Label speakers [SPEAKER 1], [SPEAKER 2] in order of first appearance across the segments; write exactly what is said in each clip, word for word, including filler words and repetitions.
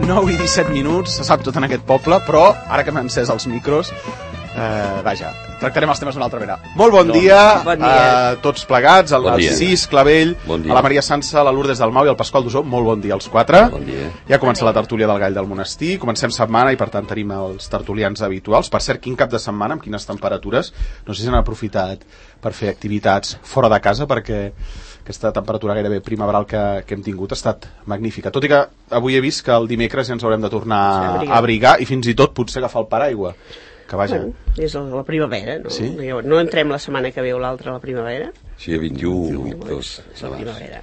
[SPEAKER 1] nou i disset minuts, se sap tot en aquest poble, però ara que m'han encès els micros, eh, vaja, tractarem els temes d'una altra manera. Molt bon no, dia, bon dia. A tots plegats, al bon Cis, Clavell, bon a la Maria Sansa, a la Lourdes del Mau i al Pasqual Dusó. Molt bon dia als quatre.
[SPEAKER 2] Bon dia.
[SPEAKER 1] Ja comença la tertúlia del Gall del Monestir, comencem setmana i per tant tenim els tertulians habituals. Per cert, quin cap de setmana, amb quines temperatures? No sé si han aprofitat per fer activitats fora de casa, perquè aquesta temperatura gairebé primaveral que, que hem tingut ha estat magnífica. Tot i que avui he vist que el dimecres ja ens haurem de tornar sí, a abrigar i fins i tot potser agafar el paraigua. Que vaja.
[SPEAKER 3] Bueno, és la primavera, no?
[SPEAKER 1] Sí?
[SPEAKER 3] No entrem la setmana que ve o l'altra a la primavera?
[SPEAKER 2] Sí, a vint-i-u, vint-i-dos.
[SPEAKER 3] És la primavera.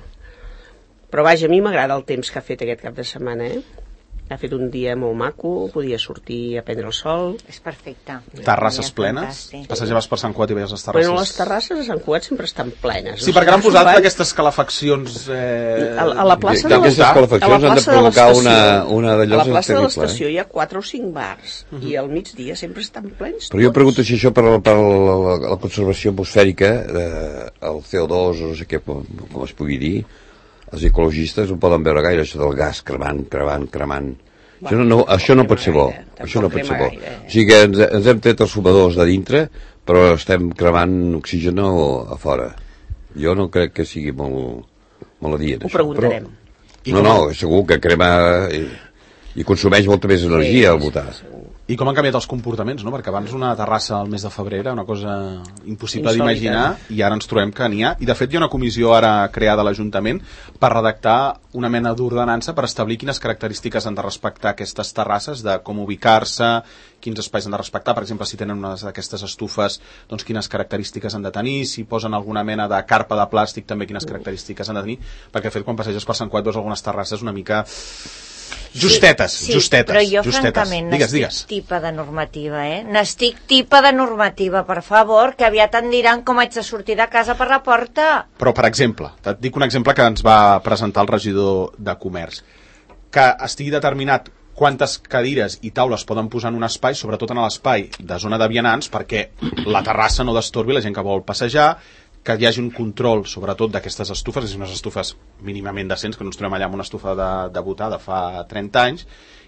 [SPEAKER 3] Però vaja, a mi m'agrada el temps que ha fet aquest cap de setmana, eh? Ha fet un dia molt maco, podia sortir a prendre el sol.
[SPEAKER 4] És perfecte.
[SPEAKER 1] Terrasses plenes? Passejaves per Sant Cugat i veies les terrasses?
[SPEAKER 3] Bueno, les terrasses a Sant Cugat sempre estan plenes.
[SPEAKER 1] Sí, perquè han posat aquestes calefaccions... Eh...
[SPEAKER 3] A, a la plaça de,
[SPEAKER 2] de aquestes calefaccions han de provocar una, una d'allò.
[SPEAKER 3] A la plaça de l'estació eh? hi ha quatre o cinc bars uh -huh. i al migdia sempre estan plens.
[SPEAKER 2] Però jo pregunto si això per, per la, la, la conservació atmosfèrica, eh, el C O dos, o no sé què, com, com es pugui dir, els ecologistes no poden veure gaire això del gas cremant, cremant, cremant. Va, això no, no, això no pot ser bo. Això no pot ser bo. O sigui que ens, ens hem tret els fumadors de dintre, però estem cremant oxigen a fora. Jo no crec que sigui molt, molt adient.
[SPEAKER 3] Ho preguntarem.
[SPEAKER 2] Però, no, no, segur que crema i, i consumeix molta més energia sí, al votar.
[SPEAKER 3] Segur.
[SPEAKER 1] I com han canviat els comportaments, no? Perquè abans una terrassa al mes de febrer era una cosa impossible d'imaginar i ara ens trobem que n'hi ha. I de fet hi ha una comissió ara creada a l'Ajuntament per redactar una mena d'ordenança per establir quines característiques han de respectar aquestes terrasses, de com ubicar-se, quins espais han de respectar, per exemple, si tenen una d'aquestes estufes, doncs quines característiques han de tenir, si posen alguna mena de carpa de plàstic també quines característiques han de tenir, perquè de fet quan passeges per Sant Cugat veus algunes terrasses una mica... Justetes,
[SPEAKER 4] sí, sí,
[SPEAKER 1] justetes.
[SPEAKER 4] Però jo,
[SPEAKER 1] justetes.
[SPEAKER 4] francament,
[SPEAKER 1] digues,
[SPEAKER 4] n'estic
[SPEAKER 1] digues.
[SPEAKER 4] tipa de normativa, eh? N'estic tipa de normativa, per favor, que aviat em diran com haig de sortir de casa per la porta.
[SPEAKER 1] Però, per exemple, et dic un exemple que ens va presentar el regidor de Comerç, que estigui determinat quantes cadires i taules poden posar en un espai, sobretot en l'espai de zona de vianants, perquè la terrassa no destorbi la gent que vol passejar, que hi hagi un control, sobretot, d'aquestes estufes, és unes estufes mínimament decents, que no ens trobem allà amb una estufa de, de botar de fa trenta anys,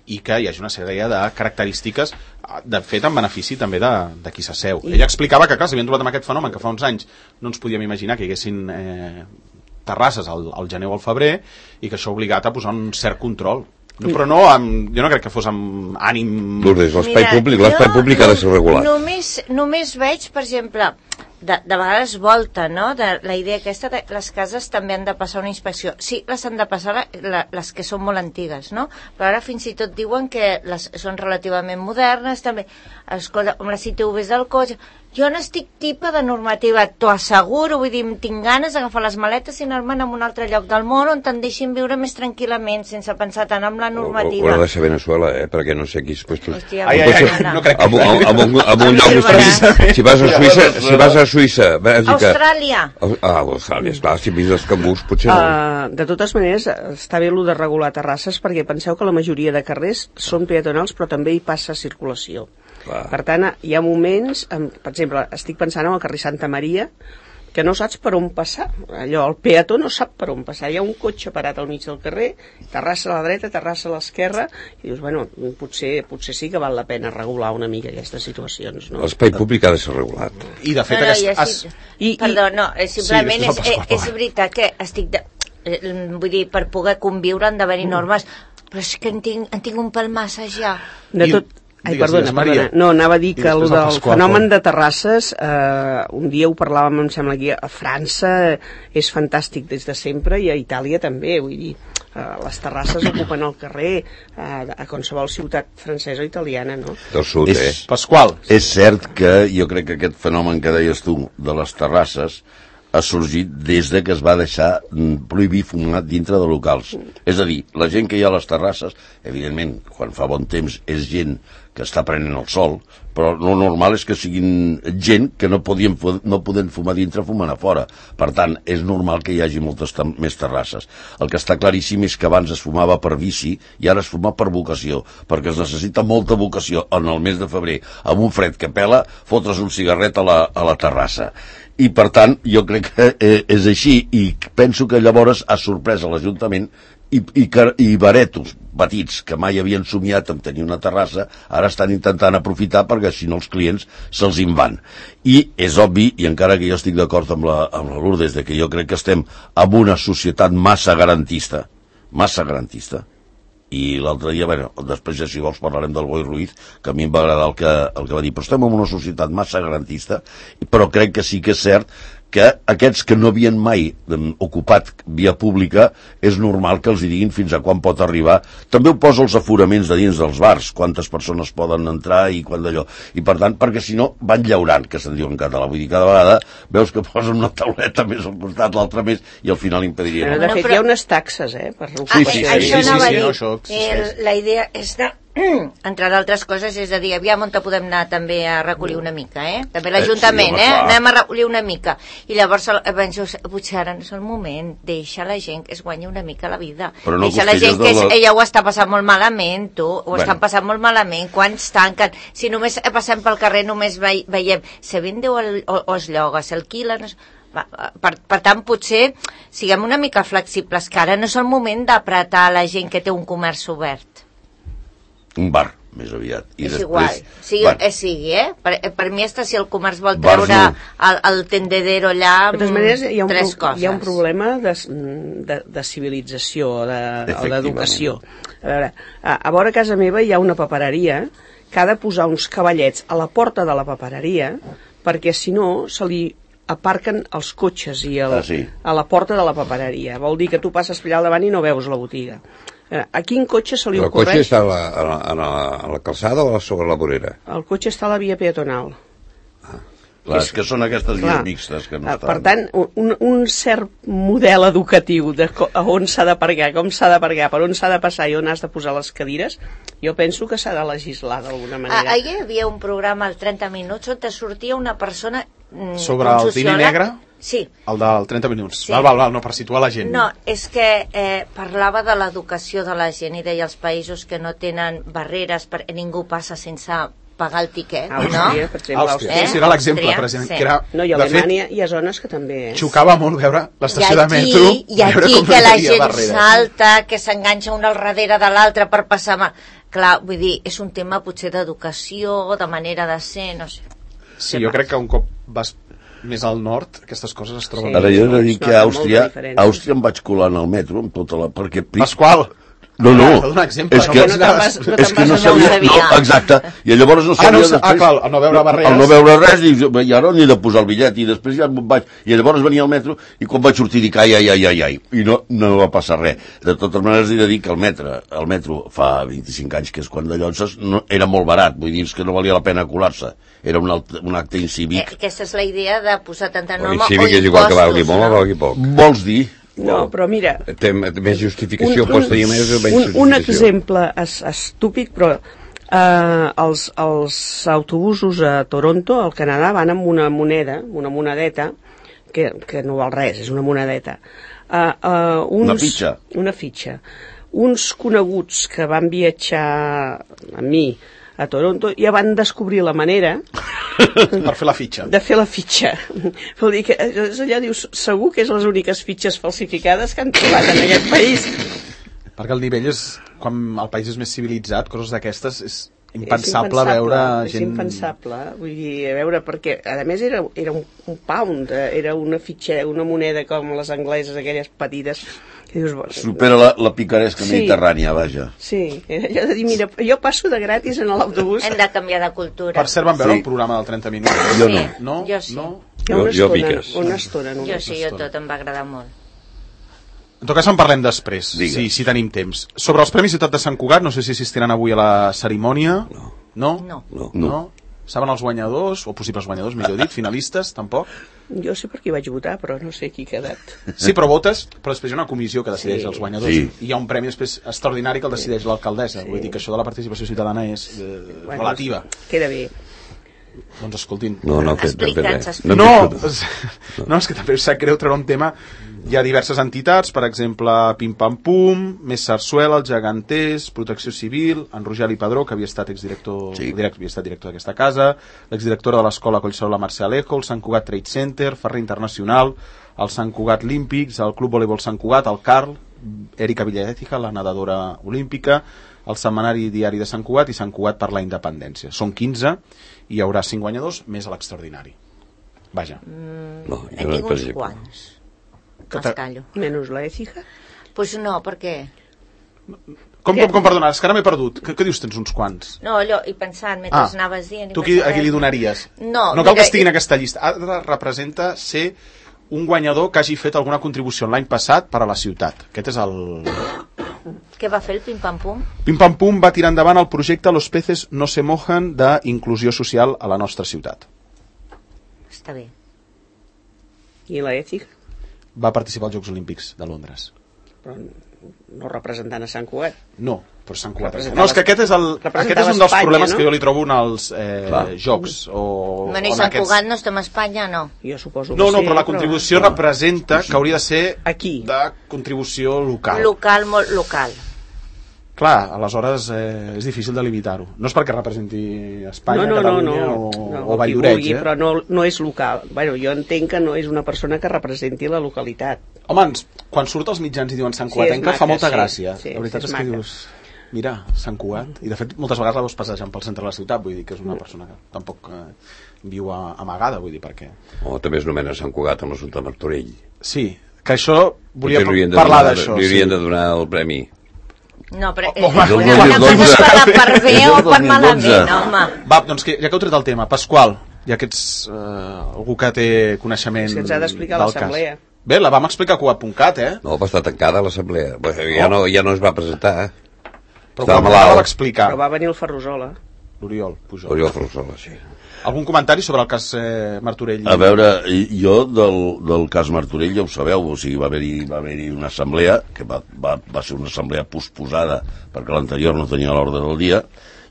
[SPEAKER 1] i que hi hagi una sèrie de característiques, de fet, en benefici també de, de qui s'asseu. I... Ella explicava que, clar, s'havien trobat amb aquest fenomen, que fa uns anys no ens podíem imaginar que hi haguessin eh, terrasses al, al gener o al febrer, i que això ha obligat a posar un cert control. No, però no, amb, jo no crec que fos amb ànim...
[SPEAKER 2] Lourdes, l'espai públic, l'espai públic ha de ser regulat.
[SPEAKER 4] Només, només veig, per exemple, de, de vegades volta, no?, de la idea aquesta de les cases també han de passar una inspecció. Sí, les han de passar la, la, les que són molt antigues, no? Però ara fins i tot diuen que les són relativament modernes, també. Escolta, amb les I T Vs del cotxe... Jo n'estic tipa de normativa, t'ho asseguro, vull dir, tinc ganes d'agafar les maletes i anar-me'n a un altre lloc del món on te'n deixin viure més tranquil·lament, sense pensar tant en la normativa.
[SPEAKER 2] Ho ha de ser Venezuela, eh? Perquè no sé quins puestos...
[SPEAKER 4] Hòstia,
[SPEAKER 1] ai, ai, ai, no crec que...
[SPEAKER 2] Amb, amb, amb, un, amb un lloc més... Si vas a Suïssa, si vas a Suïssa... Bèlgica...
[SPEAKER 4] Austràlia!
[SPEAKER 2] Ah, Austràlia, esclar, si vist els cangurs, potser no.
[SPEAKER 3] Uh, de totes maneres, està bé el de regular terrasses, perquè penseu que la majoria de carrers són peatonals, però també hi passa circulació.
[SPEAKER 2] Clar.
[SPEAKER 3] Per tant, hi ha moments, per exemple, estic pensant en el carrer Santa Maria, que no saps per on passar. Allò, el peató no sap per on passar. Hi ha un cotxe parat al mig del carrer, terrassa a la dreta, terrassa a l'esquerra, i dius, bueno, potser, potser sí que val la pena regular una mica aquestes situacions, no?
[SPEAKER 2] L'espai públic ha de ser regulat.
[SPEAKER 1] I de fet...
[SPEAKER 4] No, no,
[SPEAKER 1] aquest...
[SPEAKER 4] ja sí, I, perdó, no, simplement
[SPEAKER 1] sí,
[SPEAKER 4] és, és veritat que estic... De, vull dir, per poder conviure han d'haver-hi normes, però és que en tinc, en tinc un pèl massa ja.
[SPEAKER 3] De tot... Ai, perdona, perdona. No, anava a dir que el del fenomen de terrasses, eh, un dia ho parlàvem, em sembla, aquí, a França és fantàstic des de sempre i a Itàlia també, vull dir, eh, les terrasses ocupen el carrer eh, a qualsevol ciutat francesa o italiana, no?
[SPEAKER 2] Del sud,
[SPEAKER 5] és,
[SPEAKER 2] eh?
[SPEAKER 1] Pasqual.
[SPEAKER 5] És cert que jo crec que aquest fenomen que deies tu de les terrasses ha sorgit des de que es va deixar prohibir fumar dintre de locals. És a dir, la gent que hi ha a les terrasses, evidentment, quan fa bon temps és gent que està prenent el sol, però el normal és que siguin gent que no podien no poden fumar dintre, fumant a fora. Per tant, és normal que hi hagi moltes més terrasses. El que està claríssim és que abans es fumava per vici i ara es fuma per vocació, perquè es necessita molta vocació en el mes de febrer, amb un fred que pela, fotre's un cigarret a la, a la terrassa. i per tant jo crec que eh, és així, i penso que llavors ha sorprès a l'Ajuntament i, i, i baretos petits que mai havien somiat en tenir una terrassa ara estan intentant aprofitar perquè si no els clients se'ls en van. I és obvi, i encara que jo estic d'acord amb la, amb la Lourdes, de que jo crec que estem en una societat massa garantista, massa garantista, i l'altre dia, bueno, després ja si vols parlarem del Boi Ruiz, que a mi em va agradar el que, el que va dir, però estem en una societat massa garantista, però crec que sí que és cert que aquests que no havien mai ocupat via pública és normal que els hi diguin fins a quan pot arribar. També ho posa els aforaments de dins dels bars, quantes persones poden entrar i quan d'allò. I per tant, perquè si no van llaurant, que se'n diu en català. Vull dir, cada vegada veus que posen una tauleta més al costat, l'altra més, i al final impediria.
[SPEAKER 3] Però, de fet, hi ha unes taxes, eh? Per
[SPEAKER 5] sí, sí, sí,
[SPEAKER 4] això
[SPEAKER 5] sí,
[SPEAKER 4] anava
[SPEAKER 5] sí,
[SPEAKER 4] a dir.
[SPEAKER 5] sí,
[SPEAKER 4] sí, sí. La idea és de entre d'altres coses, és a dir, aviam on podem anar també a recollir una mica, eh? També l'Ajuntament, eh? Anem a recollir una mica. I llavors penso, potser ara no és el moment, deixa la gent que es guanyi una mica la vida.
[SPEAKER 5] No
[SPEAKER 4] deixa la gent que la... ella ho està passant molt malament, tu, ho bueno. estan passant molt malament, quants tanquen, si només passem pel carrer només ve veiem, se vende o, el, o, o es lloga, s'alquila, no és... Per, per tant, potser siguem una mica flexibles, que ara no és el moment d'apretar la gent que té un comerç obert.
[SPEAKER 5] Un bar, més aviat. I
[SPEAKER 4] és
[SPEAKER 5] després,
[SPEAKER 4] igual, sigui,
[SPEAKER 5] bueno.
[SPEAKER 4] eh, sigui eh? Per, per mi està si el comerç vol treure no. el, el tendedero allà amb
[SPEAKER 3] de totes maneres, hi ha un,
[SPEAKER 4] tres
[SPEAKER 3] pro,
[SPEAKER 4] coses.
[SPEAKER 3] Hi ha un problema de, de, de civilització de, o d'educació. A veure, a, a vora casa meva hi ha una papereria que ha de posar uns cavallets a la porta de la papereria perquè si no se li aparquen els cotxes i el,
[SPEAKER 5] ah, sí.
[SPEAKER 3] a la porta de la papereria. Vol dir que tu passes per allà al davant i no veus la botiga. A quin cotxe se li
[SPEAKER 2] el
[SPEAKER 3] ocorreix?
[SPEAKER 2] El cotxe està a la, a, la, a, la, a la calçada o sobre la vorera?
[SPEAKER 3] El cotxe està a la via peatonal.
[SPEAKER 5] Ah. Clar, és que són aquestes vies mixtes que no estan...
[SPEAKER 3] Per tant, un, un cert model educatiu de on s'ha d'aparcar, com s'ha d'aparcar, per on s'ha de passar i on has de posar les cadires, jo penso que s'ha de legislar d'alguna manera.
[SPEAKER 4] Ah, ahir hi havia un programa al trenta minuts on te sortia una persona... Mm,
[SPEAKER 1] sobre el Dini Negre?
[SPEAKER 4] Sí.
[SPEAKER 1] El del trenta minuts.
[SPEAKER 4] Sí.
[SPEAKER 1] Val, val, val, no, per situar la gent.
[SPEAKER 4] No, és que eh, parlava de l'educació de la gent i deia els països que no tenen barreres perquè ningú passa sense pagar el tiquet,
[SPEAKER 3] Àustria,
[SPEAKER 4] no?
[SPEAKER 3] per exemple,
[SPEAKER 1] Àustria, eh? sí, era l'exemple, president.
[SPEAKER 4] Sí.
[SPEAKER 1] Que era,
[SPEAKER 3] no, i a Alemanya hi ha zones que també...
[SPEAKER 1] Xocava molt veure l'estació de metro...
[SPEAKER 4] I aquí que la gent salta, que s'enganxa un al darrere de l'altre per passar... Mà. Clar, vull dir, és un tema potser d'educació, de manera de ser, no sé.
[SPEAKER 1] Sí, jo crec que un cop vas més al nord, aquestes coses es troben...
[SPEAKER 5] Sí. Ara jo he de dir que a Àustria, a Àustria em vaig colar en el metro amb tota la... Perquè...
[SPEAKER 1] Pasqual!
[SPEAKER 5] No, no,
[SPEAKER 1] ah, exemple,
[SPEAKER 5] és que
[SPEAKER 3] no, no, vas, no,
[SPEAKER 5] és que no sabia, no, exacte, i llavors no sabia
[SPEAKER 1] ah, no,
[SPEAKER 5] després,
[SPEAKER 1] ah, clar, el no veure barreres,
[SPEAKER 5] el no veure res, i, i ara n'he de posar el bitllet, i després ja vaig, i llavors venia al metro, i quan vaig sortir dic, ai, ai, ai, ai, ai, i no, no va passar res. De totes maneres he de dir que el metro, el metro fa vint-i-cinc anys, que és quan de Llonses, no, era molt barat, vull dir que no valia la pena colar-se, era un, alt, un acte incívic.
[SPEAKER 4] Eh, aquesta és la idea de posar tanta norma o
[SPEAKER 2] incívic és igual que valgui molt o valgui poc.
[SPEAKER 5] Vols dir?
[SPEAKER 3] No, però mira...
[SPEAKER 2] Té més justificació,
[SPEAKER 3] un,
[SPEAKER 2] pots tenir més o menys
[SPEAKER 3] justificació. Un, un exemple es, estúpid, però eh, els, els autobusos a Toronto, al Canadà, van amb una moneda, una monedeta, que, que no val res, és una monedeta. Uh, uh, uns,
[SPEAKER 5] una fitxa.
[SPEAKER 3] Una fitxa. Uns coneguts que van viatjar amb mi a Toronto ja van descobrir la manera
[SPEAKER 1] per fer la fitxa
[SPEAKER 3] de fer la fitxa. Vol dir que allà dius, segur que és les úniques fitxes falsificades que han trobat en aquest país,
[SPEAKER 1] perquè el nivell és, quan el país és més civilitzat, coses d'aquestes és impensable,
[SPEAKER 3] és impensable
[SPEAKER 1] veure
[SPEAKER 3] és
[SPEAKER 1] gent...
[SPEAKER 3] impensable, vull dir, a veure, perquè a més era, era un, un pound, era una fitxa, una moneda com les angleses, aquelles petites. Dius, bueno,
[SPEAKER 5] supera la, la picaresca sí, mediterrània, vaja.
[SPEAKER 3] Sí, allò de dir, mira, jo passo de gratis en l'autobús.
[SPEAKER 4] Hem de canviar de cultura.
[SPEAKER 1] Per cert, van veure
[SPEAKER 5] sí.
[SPEAKER 1] el programa del trenta minuts?
[SPEAKER 5] Jo no.
[SPEAKER 1] No?
[SPEAKER 4] Jo sí.
[SPEAKER 1] No?
[SPEAKER 3] Jo, una
[SPEAKER 2] jo,
[SPEAKER 3] estona,
[SPEAKER 2] jo
[SPEAKER 3] una estona només.
[SPEAKER 4] Jo sí, jo tot, em va agradar molt.
[SPEAKER 1] En tot cas en parlem després,
[SPEAKER 5] Digues.
[SPEAKER 1] si, si tenim temps. Sobre els Premis Ciutat de Sant Cugat, no sé si assistiran avui a la cerimònia.
[SPEAKER 2] No.
[SPEAKER 1] No?
[SPEAKER 4] No.
[SPEAKER 5] No.
[SPEAKER 1] no. no? Saben els guanyadors, o possibles guanyadors, millor dit, finalistes, tampoc?
[SPEAKER 3] Jo sé per qui vaig votar, però no sé qui ha quedat.
[SPEAKER 1] Sí, però votes, però després hi ha una comissió que decideix
[SPEAKER 3] Sí.
[SPEAKER 1] els guanyadors.
[SPEAKER 5] Sí.
[SPEAKER 1] I hi ha un premi després extraordinari que el decideix l'alcaldessa. Sí. Vull dir que això de la participació ciutadana és eh,
[SPEAKER 3] Bueno,
[SPEAKER 1] relativa.
[SPEAKER 3] Queda bé.
[SPEAKER 1] Doncs escoltin.
[SPEAKER 2] No, no, que,
[SPEAKER 4] Explica'ns,
[SPEAKER 2] no,
[SPEAKER 1] No,
[SPEAKER 2] no,
[SPEAKER 1] no, és que també em sap greu treure un tema hi ha diverses entitats, per exemple, Pim Pam Pum, Més Sarsuela, els Geganters, Protecció Civil, en Rogeli Padró, que havia estat exdirector, sí. direct, havia estat director d'aquesta casa, l'exdirectora de l'escola Collserola Mercè Alejo, el Sant Cugat Trade Center, Ferrer Internacional, el Sant Cugat Olímpics, el Club Voleibol Sant Cugat, el Carl, Erika Villaética, la nedadora olímpica, el Setmanari Diari de Sant Cugat i Sant Cugat per la Independència. Són quinze i hi haurà cinc guanyadors més a l'extraordinari. Vaja.
[SPEAKER 4] Mm, no, he tingut uns quants. Els callo.
[SPEAKER 3] Menys la Écija?
[SPEAKER 4] Pues no, perquè...
[SPEAKER 1] Com, com, com perdona, és que ara m'he perdut. Què, què dius, tens uns quants?
[SPEAKER 4] No, allò, i pensant, mentre ah, anaves dient...
[SPEAKER 1] Tu qui, a qui li donaries?
[SPEAKER 4] No,
[SPEAKER 1] no cal mira, que estigui en aquesta llista. Ara representa ser un guanyador que hagi fet alguna contribució l'any passat per a la ciutat. Aquest és el...
[SPEAKER 4] Què va fer el Pim Pam Pum?
[SPEAKER 1] Pim Pam Pum va tirar endavant el projecte Los peces no se mojan d'inclusió social a la nostra ciutat.
[SPEAKER 4] Està bé.
[SPEAKER 3] I la Ètica?
[SPEAKER 1] Va participar als Jocs Olímpics de Londres.
[SPEAKER 3] Però no representant a Sant Cugat.
[SPEAKER 1] No, però Sant Cugat. No, és que aquest és, el, aquest és un dels Espanya, problemes no? que jo li trobo en els eh, Jocs. O,
[SPEAKER 4] bueno, i Sant aquests... Cugat no estem a Espanya, no?
[SPEAKER 3] Jo suposo que
[SPEAKER 1] no, no,
[SPEAKER 3] sí,
[SPEAKER 1] però la contribució
[SPEAKER 3] però...
[SPEAKER 1] representa que hauria de ser
[SPEAKER 3] aquí,
[SPEAKER 1] de contribució local.
[SPEAKER 4] Local, molt local.
[SPEAKER 1] Clar, aleshores eh, és difícil de limitar-ho. No és perquè representi Espanya,
[SPEAKER 3] no, no,
[SPEAKER 1] Catalunya
[SPEAKER 3] no, no,
[SPEAKER 1] o,
[SPEAKER 3] no,
[SPEAKER 1] o Vall-lloreig, eh?
[SPEAKER 3] Però no, no és local. Bueno, jo entenc que no és una persona que representi la localitat.
[SPEAKER 1] Home, quan surt als mitjans i diuen Sant Cugatenca sí, fa molta
[SPEAKER 3] sí,
[SPEAKER 1] gràcia.
[SPEAKER 3] Sí,
[SPEAKER 1] la veritat és, és que dius, mira, Sant Cugat. I de fet moltes vegades la veus passejant pel centre de la ciutat, vull dir que és una persona que tampoc eh, viu a, amagada, vull dir, perquè...
[SPEAKER 2] O també es nomena Sant Cugat amb l'Assumpte Martorell.
[SPEAKER 1] Sí, que això volia parlar d'això.
[SPEAKER 2] Li haurien
[SPEAKER 1] sí.
[SPEAKER 2] de donar el premi.
[SPEAKER 4] No, però eh, una cosa és per, per bé o per malament, home.
[SPEAKER 1] Va, doncs que, ja que heu tret el tema, Pasqual, ja que ets eh, algú que té coneixement
[SPEAKER 3] és que ens ha d'explicar l'assemblea.
[SPEAKER 1] Bé, la vam explicar a Cugat punt cat, eh?
[SPEAKER 2] No, va estar tancada l'assemblea. Ja, no, ja no es va presentar, eh?
[SPEAKER 1] Però quan la va explicar?
[SPEAKER 3] Però va venir el Ferrusola.
[SPEAKER 1] L'Oriol Pujol.
[SPEAKER 2] L'Oriol Ferrusola, sí.
[SPEAKER 1] Algun comentari sobre el cas eh, Martorell?
[SPEAKER 5] A veure, jo del, del cas Martorell ja ho sabeu, o sigui, va haver-hi va haver-hi una assemblea, que va, va, va ser una assemblea posposada perquè l'anterior no tenia l'ordre del dia,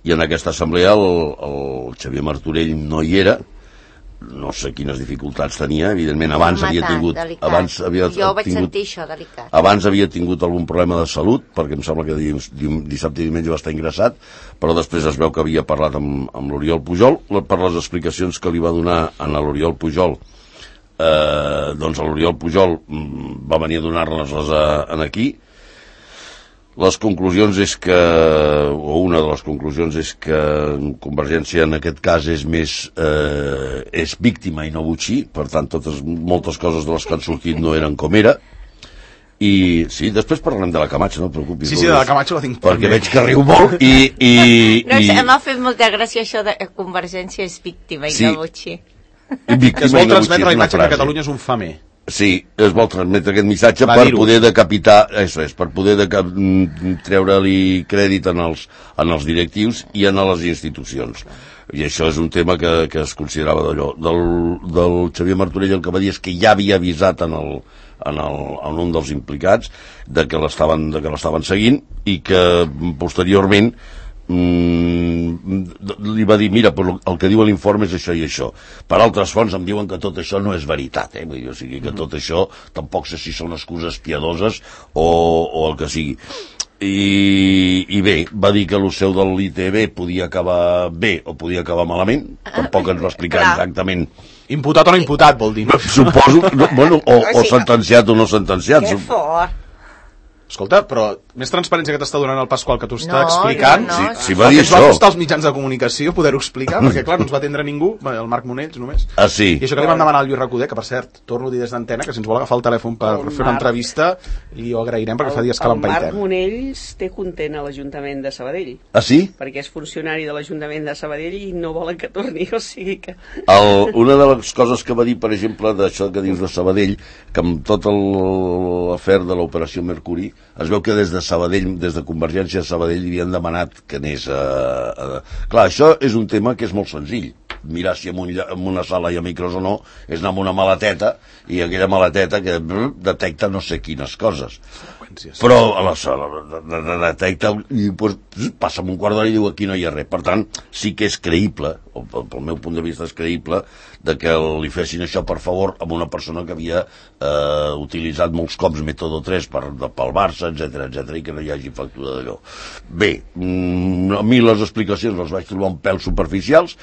[SPEAKER 5] i en aquesta assemblea el, el Xavier Martorell no hi era, no sé quines dificultats tenia, evidentment abans
[SPEAKER 4] Matat,
[SPEAKER 5] havia tingut
[SPEAKER 4] delicat.
[SPEAKER 5] abans havia
[SPEAKER 4] jo vaig
[SPEAKER 5] tingut,
[SPEAKER 4] sentir això, delicat
[SPEAKER 5] abans havia tingut algun problema de salut, perquè em sembla que dissabte i diumenge va estar ingressat, però després es veu que havia parlat amb, amb l'Oriol Pujol per les explicacions que li va donar a l'Oriol Pujol. Eh, doncs l'Oriol Pujol va venir a donar-les en aquí. Les conclusions és que, o una de les conclusions és que Convergència en aquest cas és més eh, és víctima i no botxí, per tant totes, moltes coses de les que han sortit no eren com era. I sí, després parlarem de la Camacho, no et preocupis.
[SPEAKER 1] Sí, sí, de la Camacho la tinc
[SPEAKER 5] perquè veig que riu molt i... i,
[SPEAKER 4] no,
[SPEAKER 5] i...
[SPEAKER 4] m'ha fet molta gràcia això de Convergència és víctima i sí. no botxí.
[SPEAKER 1] Que es vol transmetre la imatge que Catalunya és un famer.
[SPEAKER 5] Sí, es vol transmetre aquest missatge per poder decapitar, això és, per poder deca... treure-li crèdit en els, en els directius i en les institucions. I això és un tema que, que es considerava d'allò. Del, del Xavier Martorell el que va dir és que ja havia avisat en, el, en, el, en un dels implicats de que l'estaven de que l'estaven seguint i que posteriorment li va dir, mira, però el que diu l'informe és això i això. Per altres fonts em diuen que tot això no és veritat, eh? Vull dir, o sigui, que tot això tampoc sé si són excuses piadoses o, o el que sigui. I, i bé, va dir que el seu de l'I T B podia acabar bé o podia acabar malament, tampoc ens va explicar exactament.
[SPEAKER 1] Imputat o no imputat, vol dir.
[SPEAKER 5] Suposo, no, bueno, o, o sentenciat o no sentenciat.
[SPEAKER 4] Que fort.
[SPEAKER 1] Escolta, però més transparència que t'està donant el Pasqual que t'ho està
[SPEAKER 4] no,
[SPEAKER 1] explicant.
[SPEAKER 4] No, no,
[SPEAKER 5] si, si va dir
[SPEAKER 1] el que
[SPEAKER 5] això.
[SPEAKER 1] ens va costar als mitjans de comunicació poder-ho explicar, perquè clar, no ens va atendre ningú, el Marc Monells només.
[SPEAKER 5] Ah, sí.
[SPEAKER 1] I això que li vam demanar al Lluís Recoder, que per cert, torno a dir des d'antena, que si ens vol agafar el telèfon per el fer una Marc... entrevista, li ho agrairem perquè el, fa dies que l'empaitem.
[SPEAKER 3] El Marc Monells té content a l'Ajuntament de Sabadell.
[SPEAKER 5] Ah, sí?
[SPEAKER 3] Perquè és funcionari de l'Ajuntament de Sabadell i no volen que torni, o sigui que...
[SPEAKER 5] El, una de les coses que va dir, per exemple, d'això que dius de Sabadell, que amb tot l'afer de l'operació Mercuri, es veu que des de Sabadell, des de Convergència de Sabadell, li havien demanat que anés a, a... Clar, això és un tema que és molt senzill. mirar si en, un, en una sala hi ha micros o no, és anar amb una maleteta, i aquella maleteta que brr, detecta no sé quines coses. Però a la sala de, de, de, detecta i pues, passa un quart d'hora i diu aquí no hi ha res. Per tant, sí que és creïble, o pel meu punt de vista és creïble, de que li fessin això per favor amb una persona que havia eh, utilitzat molts cops mètode tres per, pel Barça, etcètera, etcètera, i que no hi hagi factura d'allò. Bé, mm, a mi les explicacions les vaig trobar un pèl superficials,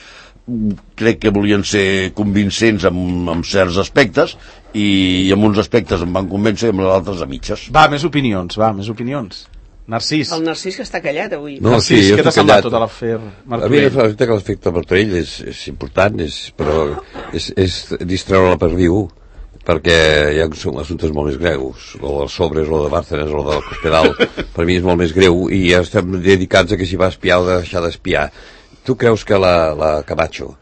[SPEAKER 5] crec que volien ser convincents en, en certs aspectes i, i en uns aspectes em van convèncer i en altres a mitges.
[SPEAKER 1] Va, més opinions, va, més opinions. Narcís.
[SPEAKER 3] El Narcís que està callat avui.
[SPEAKER 2] No,
[SPEAKER 1] Narcís,
[SPEAKER 2] sí,
[SPEAKER 1] què t'ha semblat tot l'afer Martorell?
[SPEAKER 2] A mi que l'efecte Martorell és, és important, és, però és, és distreure la perdiu, perquè hi ha assumptes molt més greus. Lo dels sobres, lo de Bárcenas, lo del Cospedal, per mi és molt més greu, i ja estem dedicats a que si va espiar o deixar d'espiar. Tu creus que la, la Camacho,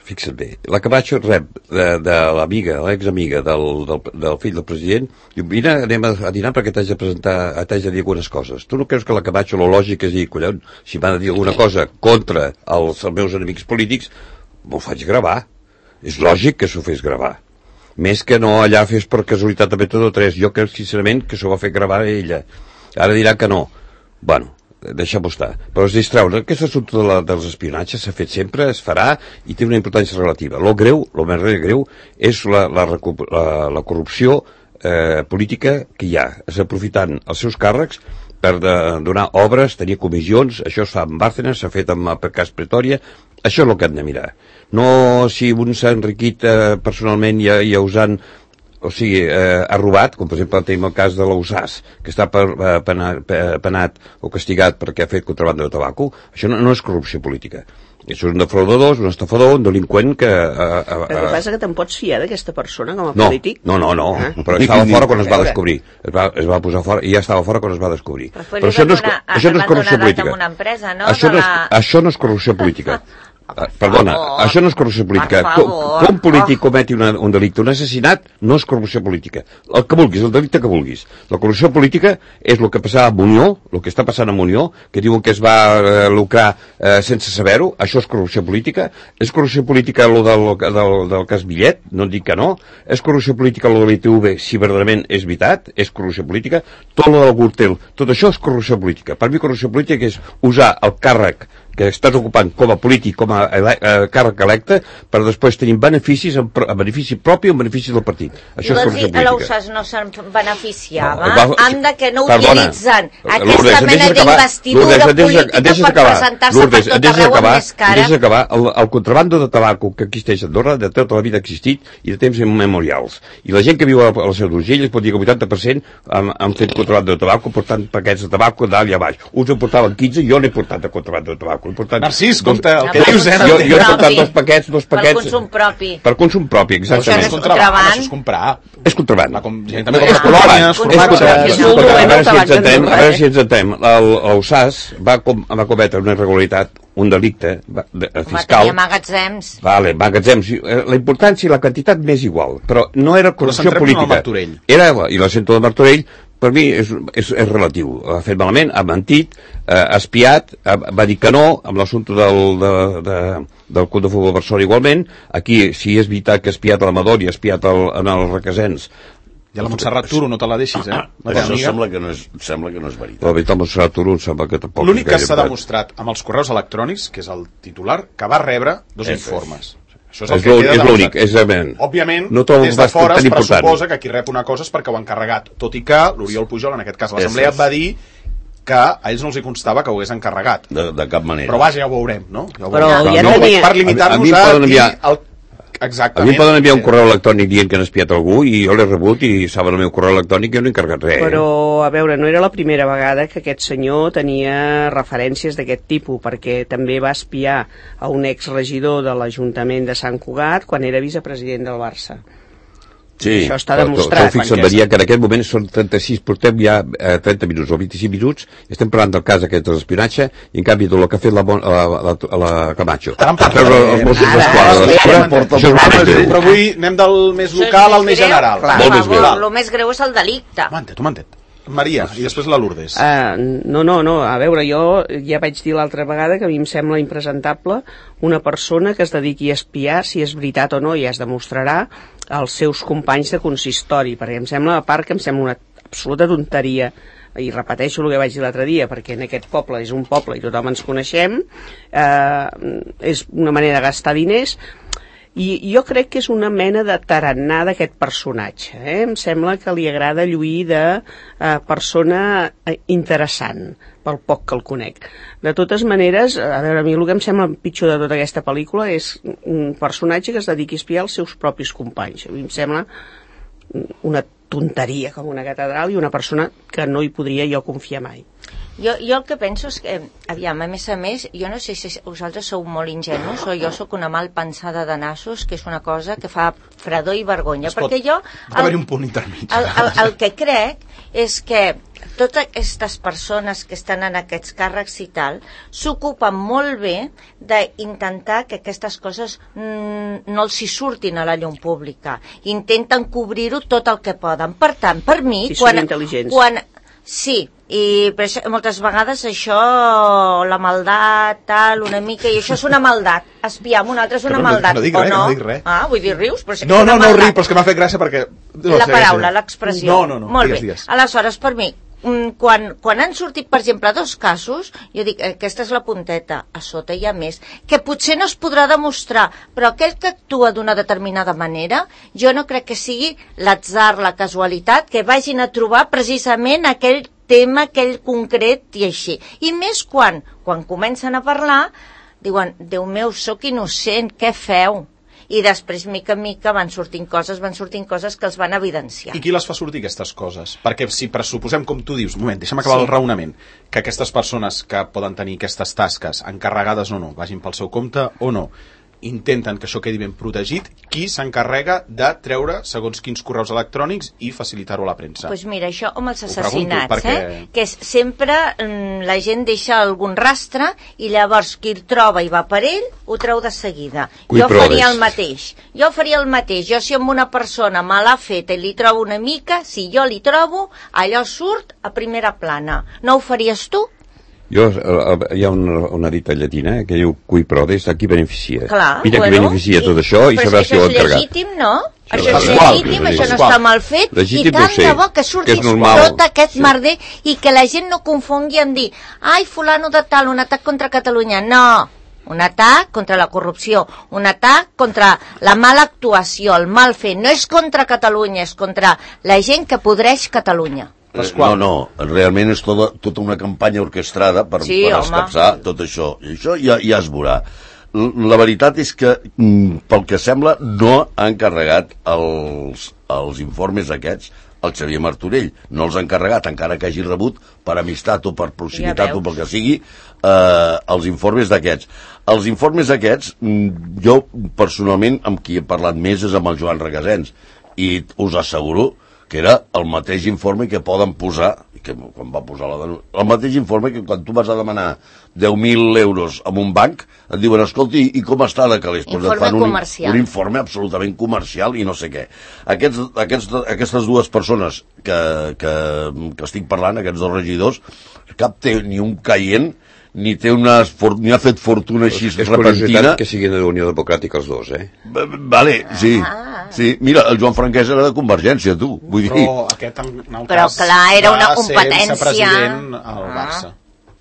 [SPEAKER 2] fixa't bé, la Camacho rep de, de l'amiga, l'examiga del, del, del fill del president, diu, vine, anem a, a dinar perquè t'haig de presentar, t'haig de dir algunes coses. Tu no creus que la Camacho, lo lògic és dir, collons, si m'ha de dir alguna cosa contra els, els meus enemics polítics, m'ho faig gravar. És lògic que s'ho fes gravar. Més que no allà fes per casualitat de mètode tres. Jo crec, sincerament, que s'ho va fer gravar a ella. Ara dirà que no. Bueno, deixem-ho estar. Però es distreure. Aquest assumpte de la, dels espionatges s'ha fet sempre, es farà i té una importància relativa. Lo greu, lo més greu, és la, la, la, la corrupció eh, política que hi ha. És aprofitant els seus càrrecs per de, donar obres, tenir comissions, això es fa amb Bárcenas, s'ha fet amb el cas Pretòria, això és el que hem de mirar. No si un s'ha enriquit eh, personalment i, i usant, o sigui, eh, ha robat, com per exemple tenim el cas de l'Ausàs, que està per, eh, penat, penat o castigat perquè ha fet contrabanda de tabaco, això no, no és corrupció política. Això és un defraudador, un estafador, un delinqüent que... Eh, eh,
[SPEAKER 3] el que passa que te'n pots fiar d'aquesta persona com a
[SPEAKER 2] no,
[SPEAKER 3] polític?
[SPEAKER 2] No, no, no, ah. però estava fora quan es va descobrir. Es va, es va posar fora i ja estava fora quan es va descobrir.
[SPEAKER 4] Però,
[SPEAKER 2] però això no és,
[SPEAKER 4] una,
[SPEAKER 2] això no és corrupció política.
[SPEAKER 4] Una empresa, no?
[SPEAKER 2] Això, no és,
[SPEAKER 4] la...
[SPEAKER 2] això no és corrupció política. Uh, perdona,
[SPEAKER 4] favor,
[SPEAKER 2] això no és corrupció política. Com, com un polític cometi una, un delicte, un assassinat, no és corrupció política. El que vulguis, el delicte que vulguis. La corrupció política és el que passava a Unió, el que està passant a Unió, que diuen que es va eh, lucrar eh, sense saber-ho, això és corrupció política. És corrupció política el del, del, del cas Millet, no et dic que no. És corrupció política el de l'I T V, si verdaderament és veritat, és corrupció política. Tot el del Gürtel, tot això és corrupció política. Per mi corrupció política és usar el càrrec que estàs ocupant com a polític, com a ele eh, càrrec electe, per després tenir beneficis en, en benefici propi o en benefici del partit. Això és corrupció política.
[SPEAKER 4] I l'Ausàs no se'n beneficiava?
[SPEAKER 2] No, va,
[SPEAKER 4] Anda que no
[SPEAKER 2] perdona,
[SPEAKER 4] utilitzen aquesta
[SPEAKER 2] Lourdes,
[SPEAKER 4] mena d'investidura política per presentar-se per tot arreu amb més cara.
[SPEAKER 2] Deixes acabar. El, el contrabando de tabaco que existeix a Andorra de tota la vida ha existit i de temps immemorials. I la gent que viu a la, a la Seu d'Urgell es pot dir que el vuitanta per cent han, han fet contrabando de tabaco portant paquets de tabaco dalt i a baix. Uns en portaven quinze, jo n'he portat de contrabando de tabaco. Portat,
[SPEAKER 1] Narcís, compte, el
[SPEAKER 2] que dius, eh? Jo, jo he portat dos paquets, dos paquets...
[SPEAKER 4] Per consum propi.
[SPEAKER 2] Per consum propi, exactament.
[SPEAKER 1] Això és contraband. Això és comprar.
[SPEAKER 2] És contraband.
[SPEAKER 1] La com, gent també compra colònies,
[SPEAKER 2] formats... A veure si ens entenem, a veure si ens entenem. L'Ausàs va, com, va cometre una irregularitat, un delicte va, de, fiscal...
[SPEAKER 4] Home, magatzems.
[SPEAKER 2] Vale, magatzems. La importància i la quantitat m'és igual, però no era corrupció política. Era, i l'assento de Martorell, per mi és, és, és relatiu. Ha fet malament, ha mentit, eh, ha espiat, ha, va dir que no, amb l'assumpte del, de, de, del Club de Futbol Barcelona igualment. Aquí, si és veritat que ha espiat a l'Amador i ha espiat el, en el Requesens...
[SPEAKER 1] I a la Montserrat Turo no te la deixis, eh?
[SPEAKER 5] No, això sembla que no és, sembla que no és veritat.
[SPEAKER 2] La veritat, Montserrat Turo em sembla que tampoc...
[SPEAKER 1] L'únic que s'ha demostrat amb els correus electrònics, que és el titular, que va rebre dos és informes. Això és el
[SPEAKER 2] és
[SPEAKER 1] que queda
[SPEAKER 2] l'únic, és evident.
[SPEAKER 1] Òbviament,
[SPEAKER 2] no
[SPEAKER 1] des de fora es pressuposa que qui rep una cosa és perquè ho ha encarregat, tot i que l'Oriol Pujol, en aquest cas l'Assemblea, va dir que a ells no els hi constava que ho hagués encarregat.
[SPEAKER 5] De, de cap manera.
[SPEAKER 1] Però vaja, ja ho veurem, no? Ja ho
[SPEAKER 3] Però
[SPEAKER 1] veurem.
[SPEAKER 3] ja
[SPEAKER 1] no,
[SPEAKER 3] tenia...
[SPEAKER 1] per limitar-nos a, a dir el... Exactament.
[SPEAKER 2] A mi em poden enviar un correu electrònic dient que han espiat algú i jo l'he rebut i saben el meu correu electrònic i jo no he encarregat res.
[SPEAKER 3] Però, a veure, no era la primera vegada que aquest senyor tenia referències d'aquest tipus, perquè també va espiar a un exregidor de l'Ajuntament de Sant Cugat quan era vicepresident del Barça.
[SPEAKER 2] Sí,
[SPEAKER 3] això està demostrat.
[SPEAKER 2] Però fixa't, Maria, que en aquest moment són trenta-sis, portem ja eh, trenta minuts o vint-i-cinc minuts, estem parlant del cas aquest de l'espionatge, i en canvi tot el que ha fet la, la, la, la Camacho.
[SPEAKER 1] Però avui anem del més local al més general.
[SPEAKER 4] Molt més greu. El més greu és el delicte.
[SPEAKER 1] M'ho entès, m'ho entès. Maria, i després la Lourdes.
[SPEAKER 3] Uh, no, no, no, a veure, jo ja vaig dir l'altra vegada que a mi em sembla impresentable una persona que es dediqui a espiar, si és veritat o no, ja es demostrarà, als seus companys de consistori, perquè em sembla, a part que em sembla una absoluta tonteria, i repeteixo el que vaig dir l'altre dia, perquè en aquest poble és un poble i tothom ens coneixem, eh, és una manera de gastar diners, i jo crec que és una mena de tarannà d'aquest personatge, eh? Em sembla que li agrada lluir de eh, persona interessant, pel poc que el conec. De totes maneres, a veure, a mi el que em sembla pitjor de tota aquesta pel·lícula és un personatge que es dediqui a espiar els seus propis companys. A mi em sembla una tonteria com una catedral i una persona que no hi podria jo confiar mai.
[SPEAKER 4] Jo, jo el que penso és que, aviam, a més a més, jo no sé si vosaltres sou molt ingenus o jo sóc una mal pensada de nassos, que és una cosa que fa fredor i vergonya,
[SPEAKER 1] es pot,
[SPEAKER 4] perquè jo...
[SPEAKER 1] Pot haver-hi un punt intermig.
[SPEAKER 4] El, el, el que crec és que totes aquestes persones que estan en aquests càrrecs i tal s'ocupen molt bé d'intentar que aquestes coses mm, no els hi surtin a la llum pública. Intenten cobrir-ho tot el que poden. Per tant, per mi...
[SPEAKER 3] Si quan, són intel·ligents.
[SPEAKER 4] Quan, sí, i per això, moltes vegades això, la maldat, tal, una mica, i això és una maldat. Espiar amb un altre és una
[SPEAKER 1] no,
[SPEAKER 4] maldat,
[SPEAKER 1] no dic
[SPEAKER 4] o
[SPEAKER 1] res,
[SPEAKER 4] no?
[SPEAKER 1] no dic res.
[SPEAKER 4] Ah, vull dir, rius, però sí que
[SPEAKER 1] no,
[SPEAKER 4] és una
[SPEAKER 1] no, no,
[SPEAKER 4] maldat.
[SPEAKER 1] no riu, però és que m'ha fet gràcia perquè... No,
[SPEAKER 4] la paraula, l'expressió.
[SPEAKER 1] No, no, no,
[SPEAKER 4] molt
[SPEAKER 1] digues,
[SPEAKER 4] bé.
[SPEAKER 1] digues.
[SPEAKER 4] Aleshores, per mi, quan, quan han sortit, per exemple, dos casos, jo dic, aquesta és la punteta, a sota hi ha més, que potser no es podrà demostrar, però aquell que actua d'una determinada manera, jo no crec que sigui l'atzar, la casualitat, que vagin a trobar precisament aquell tema, aquell concret i així. I més quan, quan comencen a parlar, diuen, Déu meu, sóc innocent, què feu? I després, mica en mica, van sortint coses, van sortint coses que els van evidenciar.
[SPEAKER 1] I qui les fa sortir, aquestes coses? Perquè si pressuposem, com tu dius, un moment, deixa'm acabar sí. el raonament, que aquestes persones que poden tenir aquestes tasques, encarregades o no, vagin pel seu compte o no, intenten que això quedi ben protegit, qui s'encarrega de treure segons quins correus electrònics i facilitar-ho a la premsa?
[SPEAKER 4] Doncs pues mira, això amb els
[SPEAKER 1] pregunto,
[SPEAKER 4] assassinats,
[SPEAKER 1] perquè...
[SPEAKER 4] eh? que és, sempre mm, la gent deixa algun rastre i llavors qui el troba i va per ell ho treu de seguida.
[SPEAKER 2] Qui
[SPEAKER 4] jo
[SPEAKER 2] proves?
[SPEAKER 4] faria el mateix. Jo faria el mateix. Jo si amb una persona me l'ha fet i li trobo una mica, si jo li trobo, allò surt a primera plana. No ho faries tu?
[SPEAKER 2] Jo, hi ha una, una dita llatina que diu cui prodest, a qui beneficia.
[SPEAKER 4] Clar,
[SPEAKER 2] Mira
[SPEAKER 4] bueno,
[SPEAKER 2] qui beneficia
[SPEAKER 4] sí,
[SPEAKER 2] tot això i sabràs qui ho ha encarregat.
[SPEAKER 4] Però això és legítim, no?
[SPEAKER 2] Això
[SPEAKER 4] Això és
[SPEAKER 2] igual,
[SPEAKER 4] legítim,
[SPEAKER 2] és
[SPEAKER 4] això no
[SPEAKER 2] igual.
[SPEAKER 4] està mal fet,
[SPEAKER 2] Legítim
[SPEAKER 4] i tant
[SPEAKER 2] no sé,
[SPEAKER 4] de bo que surti
[SPEAKER 2] que és normal.
[SPEAKER 4] tot aquest
[SPEAKER 2] Sí.
[SPEAKER 4] merder i que la gent no confongui en dir ai, fulano de tal, un atac contra Catalunya. No, un atac contra la corrupció, un atac contra la mala actuació, el mal fer. No és contra Catalunya, és contra la gent que podreix Catalunya.
[SPEAKER 5] No, no, realment és tota, tota una campanya orquestrada per,
[SPEAKER 4] Sí,
[SPEAKER 5] per
[SPEAKER 4] home.
[SPEAKER 5] escapçar tot això. I això ja, ja es veurà. L- La veritat és que, mm, pel que sembla, no ha encarregat els, els informes aquests al Xavier Martorell. No els ha encarregat, encara que hagi rebut per amistat o per proximitat
[SPEAKER 4] Ja
[SPEAKER 5] o pel que sigui, eh, els informes d'aquests. Els informes aquests, mm, jo personalment amb qui he parlat més és amb el Joan Requesens, i us asseguro que era el mateix informe que poden posar, que quan va posar la denúncia, el mateix informe que quan tu vas a demanar deu mil euros en un banc, et diuen, escolti, i com està de calés? Pues
[SPEAKER 4] Informe
[SPEAKER 5] et fan un,
[SPEAKER 4] comercial.
[SPEAKER 5] un informe absolutament comercial i no sé què. Aquests, aquests, aquestes dues persones que, que, que estic parlant, aquests dos regidors, cap té ni un caient, ni té una, ni ha fet fortuna així
[SPEAKER 2] És
[SPEAKER 5] repentina.
[SPEAKER 2] curiositat que siguin de la Unió Democràtica els dos, eh?
[SPEAKER 5] Vale, sí. Sí, mira, el Joan Franquès era de Convergència, tu. Vull dir...
[SPEAKER 1] Però aquest, en el
[SPEAKER 4] Però,
[SPEAKER 1] cas,
[SPEAKER 4] clar, era una
[SPEAKER 1] va ser
[SPEAKER 4] competència.
[SPEAKER 1] vicepresident al Barça.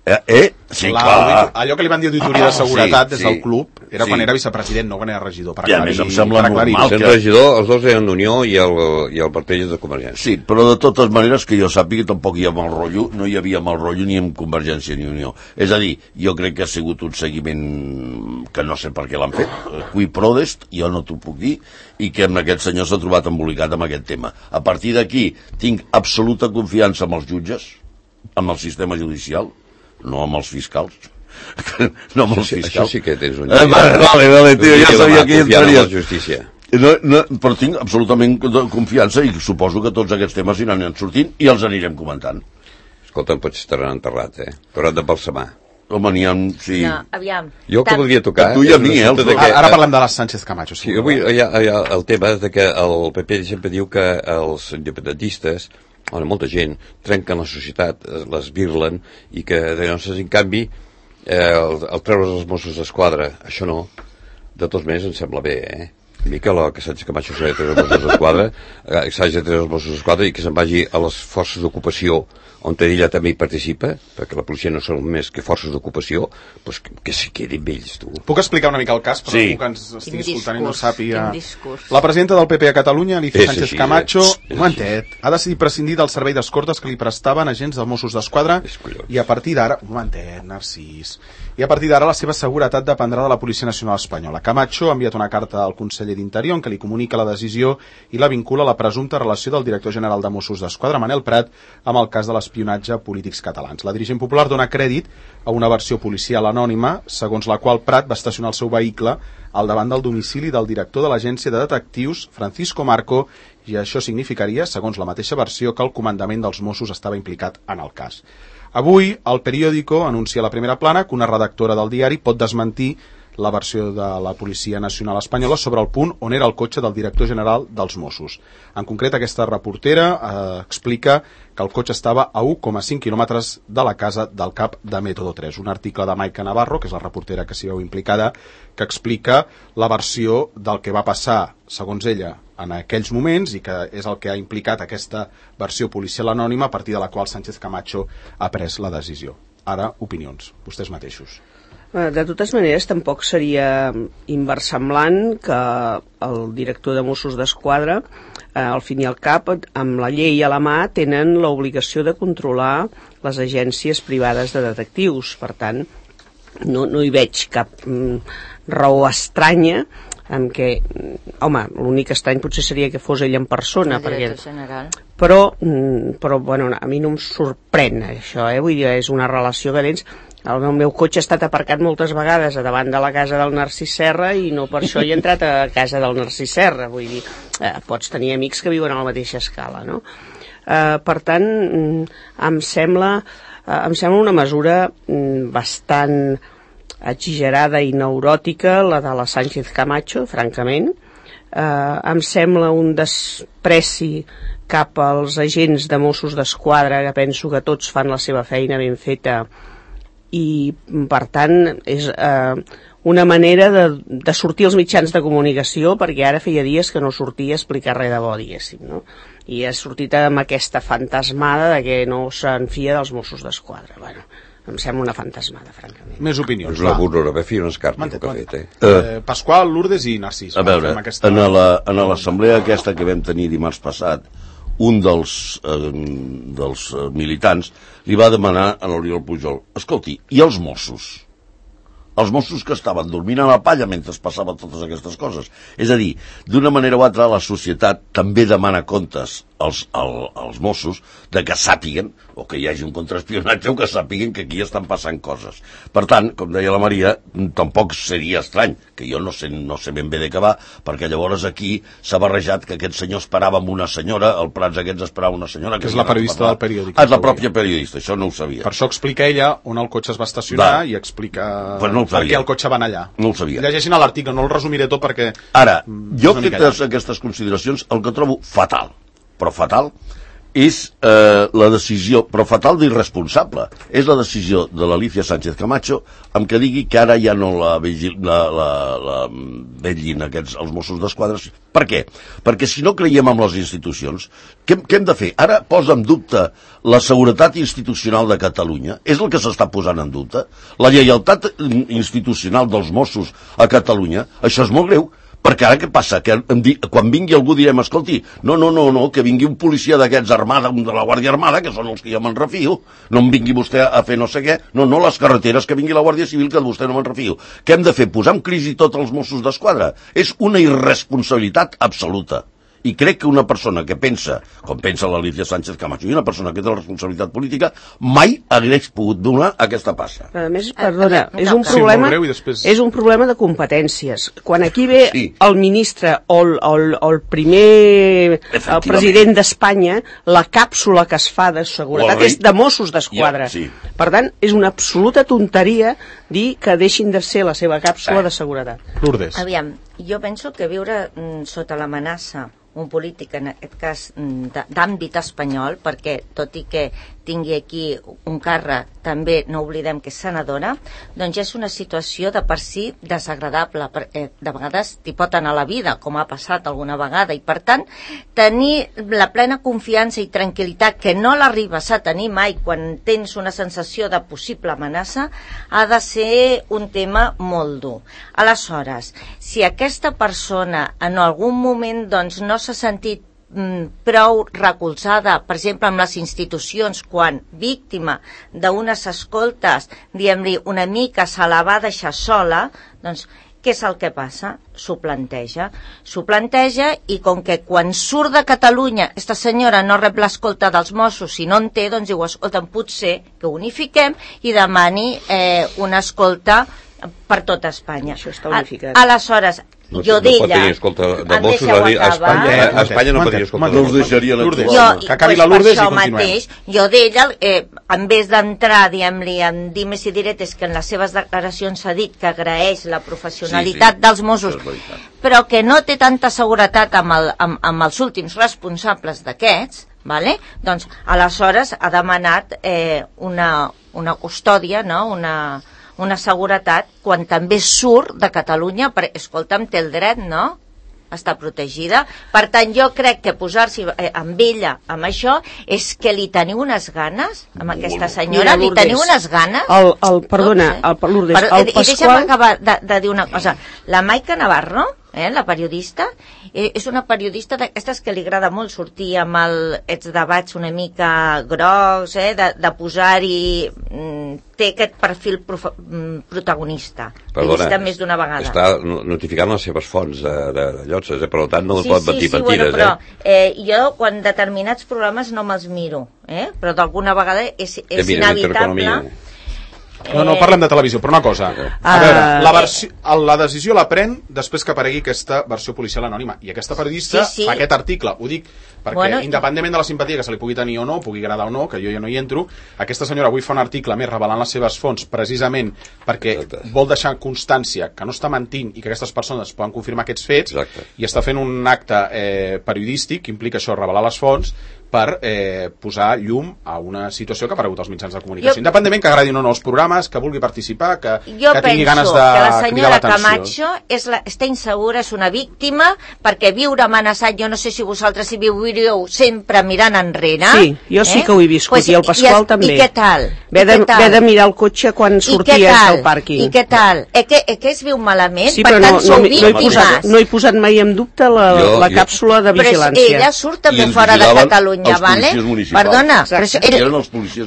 [SPEAKER 5] Eh? eh? Sí,
[SPEAKER 1] La,
[SPEAKER 5] clar.
[SPEAKER 1] allò que li van dir auditoria de seguretat
[SPEAKER 5] sí,
[SPEAKER 1] des del
[SPEAKER 5] sí.
[SPEAKER 1] club era
[SPEAKER 5] Sí.
[SPEAKER 1] quan era vicepresident, no quan era regidor. Per
[SPEAKER 5] I a més em sembla
[SPEAKER 1] per aclarir.
[SPEAKER 5] normal
[SPEAKER 2] Sent
[SPEAKER 5] que-
[SPEAKER 2] regidor, els dos eren Unió i el, i el partit és de Convergència.
[SPEAKER 5] Sí, però de totes maneres que jo sàpiga tampoc hi ha mal rotllo, no hi havia mal rotllo ni amb Convergència ni Unió. És a dir, jo crec que ha sigut un seguiment que no sé per què l'han fet, qui prodest, jo no t'ho puc dir, i que amb aquest senyor s'ha trobat embolicat amb aquest tema. A partir d'aquí tinc absoluta confiança amb els jutges, amb el sistema judicial, no amb els fiscals. No amb els
[SPEAKER 2] Això,
[SPEAKER 5] fiscals.
[SPEAKER 2] això sí que tens un...
[SPEAKER 5] Eh, vale, vale, vale, tio, ja sabia que hi
[SPEAKER 2] Confiant en
[SPEAKER 5] entraries.
[SPEAKER 2] la justícia.
[SPEAKER 5] No, no, però tinc absolutament confiança i suposo que tots aquests temes aniran sortint i els anirem comentant.
[SPEAKER 2] Escolta, pots estar enterrat, eh? Però has de balsamar.
[SPEAKER 5] Home, n'hi ha... Sí.
[SPEAKER 4] No, aviam.
[SPEAKER 2] Jo el que
[SPEAKER 4] Tant-
[SPEAKER 2] voldria tocar...
[SPEAKER 5] A tu i a
[SPEAKER 2] és
[SPEAKER 5] mi, eh,
[SPEAKER 2] l'assumpte
[SPEAKER 5] els
[SPEAKER 2] de
[SPEAKER 5] dos.
[SPEAKER 2] que-
[SPEAKER 1] Ara parlem de les Sánchez Camacho.
[SPEAKER 2] Sí, avui hi ha, hi ha el tema de que el P P sempre diu que els independentistes on molta gent trenquen la societat, les virlen, i que llavors, en canvi, eh, el, el treure's els Mossos d'Esquadra, això no, de tots més em sembla bé, eh? A mi que, la, que Sánchez Camacho s'ha de treure els Mossos d'Esquadra, eh, s'hagi de treure els Mossos d'Esquadra i que se'n vagi a les forces d'ocupació on ella també hi participa, perquè la policia no són més que forces d'ocupació, doncs que, que s'hi quedin amb ells, tu.
[SPEAKER 1] Puc explicar una mica el cas, però
[SPEAKER 5] sí.
[SPEAKER 1] algú que ens estigui
[SPEAKER 4] Quin
[SPEAKER 1] escoltant
[SPEAKER 4] discurs,
[SPEAKER 1] i no sàpiga...
[SPEAKER 4] discurs.
[SPEAKER 1] La presidenta del P P a Catalunya, Alicia
[SPEAKER 2] És
[SPEAKER 1] Sánchez
[SPEAKER 2] així,
[SPEAKER 1] Camacho,
[SPEAKER 2] és, és
[SPEAKER 1] un momentet, ha decidit prescindir del servei d'escortes que li prestaven agents dels Mossos d'Esquadra
[SPEAKER 2] És collons.
[SPEAKER 1] i a partir d'ara... Un momentet, Narcís... I a partir d'ara la seva seguretat dependrà de la Policia Nacional Espanyola. Camacho ha enviat una carta al conseller d'Interior en què li comunica la decisió i la vincula a la presumpta relació del director general de Mossos d'Esquadra, Manel Prat, amb el cas de l'espionatge a polítics catalans. La dirigent popular dona crèdit a una versió policial anònima, segons la qual Prat va estacionar el seu vehicle al davant del domicili del director de l'agència de detectius, Francisco Marco, i això significaria, segons la mateixa versió, que el comandament dels Mossos estava implicat en el cas. Avui, el periòdico anuncia a la primera plana que una redactora del diari pot desmentir la versió de la Policia Nacional Espanyola sobre el punt on era el cotxe del director general dels Mossos. En concret, aquesta reportera eh, explica que el cotxe estava a u coma cinc quilòmetres de la casa del cap de Método tres. Un article de Maica Navarro, que és la reportera que s'hi veu implicada, que explica la versió del que va passar, segons ella, en aquells moments, i que és el que ha implicat aquesta versió policial anònima a partir de la qual Sánchez Camacho ha pres la decisió. Ara, opinions, vostès mateixos.
[SPEAKER 3] De totes maneres, tampoc seria inversemblant que el director de Mossos d'Esquadra, eh, al fin i al cap, amb la llei a la mà, tenen l'obligació de controlar les agències privades de detectius. Per tant, no, no hi veig cap mm, raó estranya en què, home, l'únic estrany potser seria que fos ell en persona, perquè, però, però bueno, a mi no em sorprèn això, eh? Vull dir, és una relació que tens. El meu cotxe ha estat aparcat moltes vegades a davant de la casa del Narcís Serra i no per això he entrat a casa del Narcís Serra, vull dir, eh, pots tenir amics que viuen a la mateixa escala, no? Eh, per tant, em sembla, eh, em sembla una mesura bastant exagerada i neuròtica, la de la Sánchez Camacho, francament. Eh, em sembla un despreci cap als agents de Mossos d'Esquadra, que penso que tots fan la seva feina ben feta, i per tant és eh, una manera de, de sortir als mitjans de comunicació, perquè ara feia dies que no sortia a explicar res de bo, diguéssim, no? I ha sortit amb aquesta fantasmada de que no se'n fia dels Mossos d'Esquadra. Bueno, em sembla una fantasmada, francament.
[SPEAKER 1] Més opinions.
[SPEAKER 2] És la burra, va fer un escarp que ha fet, eh?
[SPEAKER 1] eh? Pasqual, Lourdes i Narcís.
[SPEAKER 5] A veure, aquesta... en l'assemblea aquesta que vam tenir dimarts passat, un dels, eh, dels eh, militants li va demanar a l'Oriol Pujol: escolti, i els Mossos? Els Mossos que estaven dormint a la palla mentre passaven totes aquestes coses. És a dir, d'una manera o altra, la societat també demana comptes als, als, als Mossos de que sàpiguen, o que hi hagi un contraespionatge, o que sàpiguen que aquí estan passant coses. Per tant, com deia la Maria, tampoc seria estrany, que jo no sé, no sé ben bé de què va, perquè llavors aquí s'ha barrejat que aquest senyor esperava amb una senyora, el Prats aquests esperava una senyora...
[SPEAKER 1] Que és la periodista del periòdic.
[SPEAKER 5] Ah, és la pròpia periodista, això no ho sabia.
[SPEAKER 1] Per això explica ella on el cotxe es va estacionar va. I explica
[SPEAKER 5] pues no
[SPEAKER 1] per què el cotxe va anar allà.
[SPEAKER 5] No ho sabia.
[SPEAKER 1] Llegeixin l'article, no el resumiré tot perquè...
[SPEAKER 5] Ara, jo fetes aquestes consideracions, el que trobo fatal, però fatal, és eh, la decisió, però fatal d'irresponsable, és la decisió de l'Alicia Sánchez Camacho amb que digui que ara ja no la, vigil, la, la, la vetllin aquests, els Mossos d'Esquadra. Per què? Perquè si no creiem en les institucions, què, què hem de fer? Ara posa en dubte la seguretat institucional de Catalunya, és el que s'està posant en dubte, la lleialtat institucional dels Mossos a Catalunya, això és molt greu. Perquè ara què passa? Que quan vingui algú direm, escolti, no, no, no, no, que vingui un policia d'aquests armada, un de la Guàrdia Armada, que són els que jo me'n refio, no em vingui vostè a fer no sé què, no, no, les carreteres, que vingui la Guàrdia Civil, que de vostè no me'n refio. Què hem de fer? Posar en crisi tots els Mossos d'Esquadra? És una irresponsabilitat absoluta. I crec que una persona que pensa, com pensa l'Alicia Sánchez Camacho, i una persona que té la responsabilitat política, mai hagués pogut donar aquesta passa.
[SPEAKER 3] A més, perdona, és un problema,
[SPEAKER 1] sí, després...
[SPEAKER 3] és un problema de competències. Quan aquí ve
[SPEAKER 5] sí.
[SPEAKER 3] el ministre o el, el, el primer el president d'Espanya, la càpsula que es fa de seguretat és de Mossos d'Esquadra.
[SPEAKER 5] Ja, sí.
[SPEAKER 3] Per tant, és una absoluta tonteria dir que deixin de ser la seva càpsula eh. de seguretat.
[SPEAKER 1] Lourdes.
[SPEAKER 4] Aviam, Jo penso que viure mm, sota l'amenaça un polític, en aquest cas d'àmbit espanyol, perquè tot i que tingui aquí un càrrec, també no oblidem que és senadora, doncs és una situació de per si desagradable, perquè de vegades t'hi pot anar a la vida, com ha passat alguna vegada, i per tant, tenir la plena confiança i tranquil·litat que no l'arribes a tenir mai quan tens una sensació de possible amenaça, ha de ser un tema molt dur. Aleshores, si aquesta persona en algun moment doncs, no s'ha sentit prou recolzada, per exemple, amb les institucions, quan víctima d'unes escoltes, diguem-li, una mica se la va deixar sola, doncs, què és el que passa? S'ho planteja. S'ho planteja i com que quan surt de Catalunya aquesta senyora no rep l'escolta dels Mossos i no en té, doncs diu, escolta'm, potser que unifiquem i demani eh, una escolta per tot Espanya.
[SPEAKER 3] Això està unificat.
[SPEAKER 4] Aleshores,
[SPEAKER 2] No,
[SPEAKER 4] jo
[SPEAKER 2] no
[SPEAKER 4] d'ella...
[SPEAKER 2] pot tenir escolta de Mossos a, a Espanya, a Espanya no pot tenir escolta.
[SPEAKER 5] No us deixaria l'actuar.
[SPEAKER 4] Jo,
[SPEAKER 1] que acabi la Lourdes i continuem.
[SPEAKER 4] Mateix, jo d'ella, eh, en vez d'entrar, diguem-li, en dimes i diretes, que en les seves declaracions s'ha dit que agraeix la professionalitat sí, sí, dels Mossos, però que no té tanta seguretat amb, el, amb, amb els últims responsables d'aquests, vale? Doncs aleshores ha demanat eh, una, una custòdia, no? una... una seguretat quan també surt de Catalunya, perquè, escolta'm, té el dret, no?, està protegida. Per tant, jo crec que posar-s'hi eh, amb ella, amb això, és que li teniu unes ganes, amb aquesta senyora, li teniu unes ganes?
[SPEAKER 3] El, el, perdona, no, el, Lourdes,
[SPEAKER 4] Però,
[SPEAKER 3] el Pasqual...
[SPEAKER 4] I deixa'm acabar de, de dir una cosa. La Maica Navarro, eh, la periodista, eh, és una periodista d'aquestes que li agrada molt sortir amb el, els debats una mica grocs, eh, de, de posar-hi... Mm, té aquest perfil prof, mm, protagonista.
[SPEAKER 2] Perdona,
[SPEAKER 4] L'he vist més d'una vegada.
[SPEAKER 2] Està notificant les seves fonts de, de, de llotses, eh? Per tant no
[SPEAKER 4] sí,
[SPEAKER 2] pot
[SPEAKER 4] sí,
[SPEAKER 2] mentir
[SPEAKER 4] sí,
[SPEAKER 2] mentides.
[SPEAKER 4] Bueno, però
[SPEAKER 2] eh?
[SPEAKER 4] eh, jo, quan determinats programes no me'ls miro, eh? Però d'alguna vegada és, és inevitable...
[SPEAKER 1] No, no, parlem de televisió, però una cosa. A veure, la, versió, la decisió la pren després que aparegui aquesta versió policial anònima. I aquesta periodista sí, sí. fa aquest article. Ho dic perquè, bueno, independentment de la simpatia que se li pugui tenir o no, pugui agradar o no, que jo ja no hi entro, aquesta senyora avui fa un article més revelant les seves fonts, precisament perquè Exacte. vol deixar constància que no està mentint i que aquestes persones poden confirmar aquests fets. Exacte. I està fent un acte eh, periodístic que implica això, revelar les fonts, per eh, posar llum a una situació que ha aparegut als mitjans de comunicació. Jo, independentment que agradin o no els programes, que vulgui participar, que, que tingui ganes de
[SPEAKER 4] que la senyora Camacho és la, està insegura, és una víctima, perquè viure amenaçat, jo no sé si vosaltres hi viuríeu sempre mirant enrere.
[SPEAKER 3] Sí, jo sí eh? que ho he viscut, pues, i el Pasqual
[SPEAKER 4] i,
[SPEAKER 3] també.
[SPEAKER 4] I què tal?
[SPEAKER 3] Ve de, ve de mirar el cotxe quan sorties del pàrquing.
[SPEAKER 4] I què tal? Eh que, eh que es viu malament?
[SPEAKER 3] Sí,
[SPEAKER 4] per
[SPEAKER 3] però
[SPEAKER 4] tant,
[SPEAKER 3] no,
[SPEAKER 4] sou
[SPEAKER 3] no,
[SPEAKER 4] víctimes.
[SPEAKER 3] No he, posat, no he posat mai en dubte la, jo, la càpsula de vigilància.
[SPEAKER 4] Però ella surt també fora de Catalunya, vale? Perdona, però, però,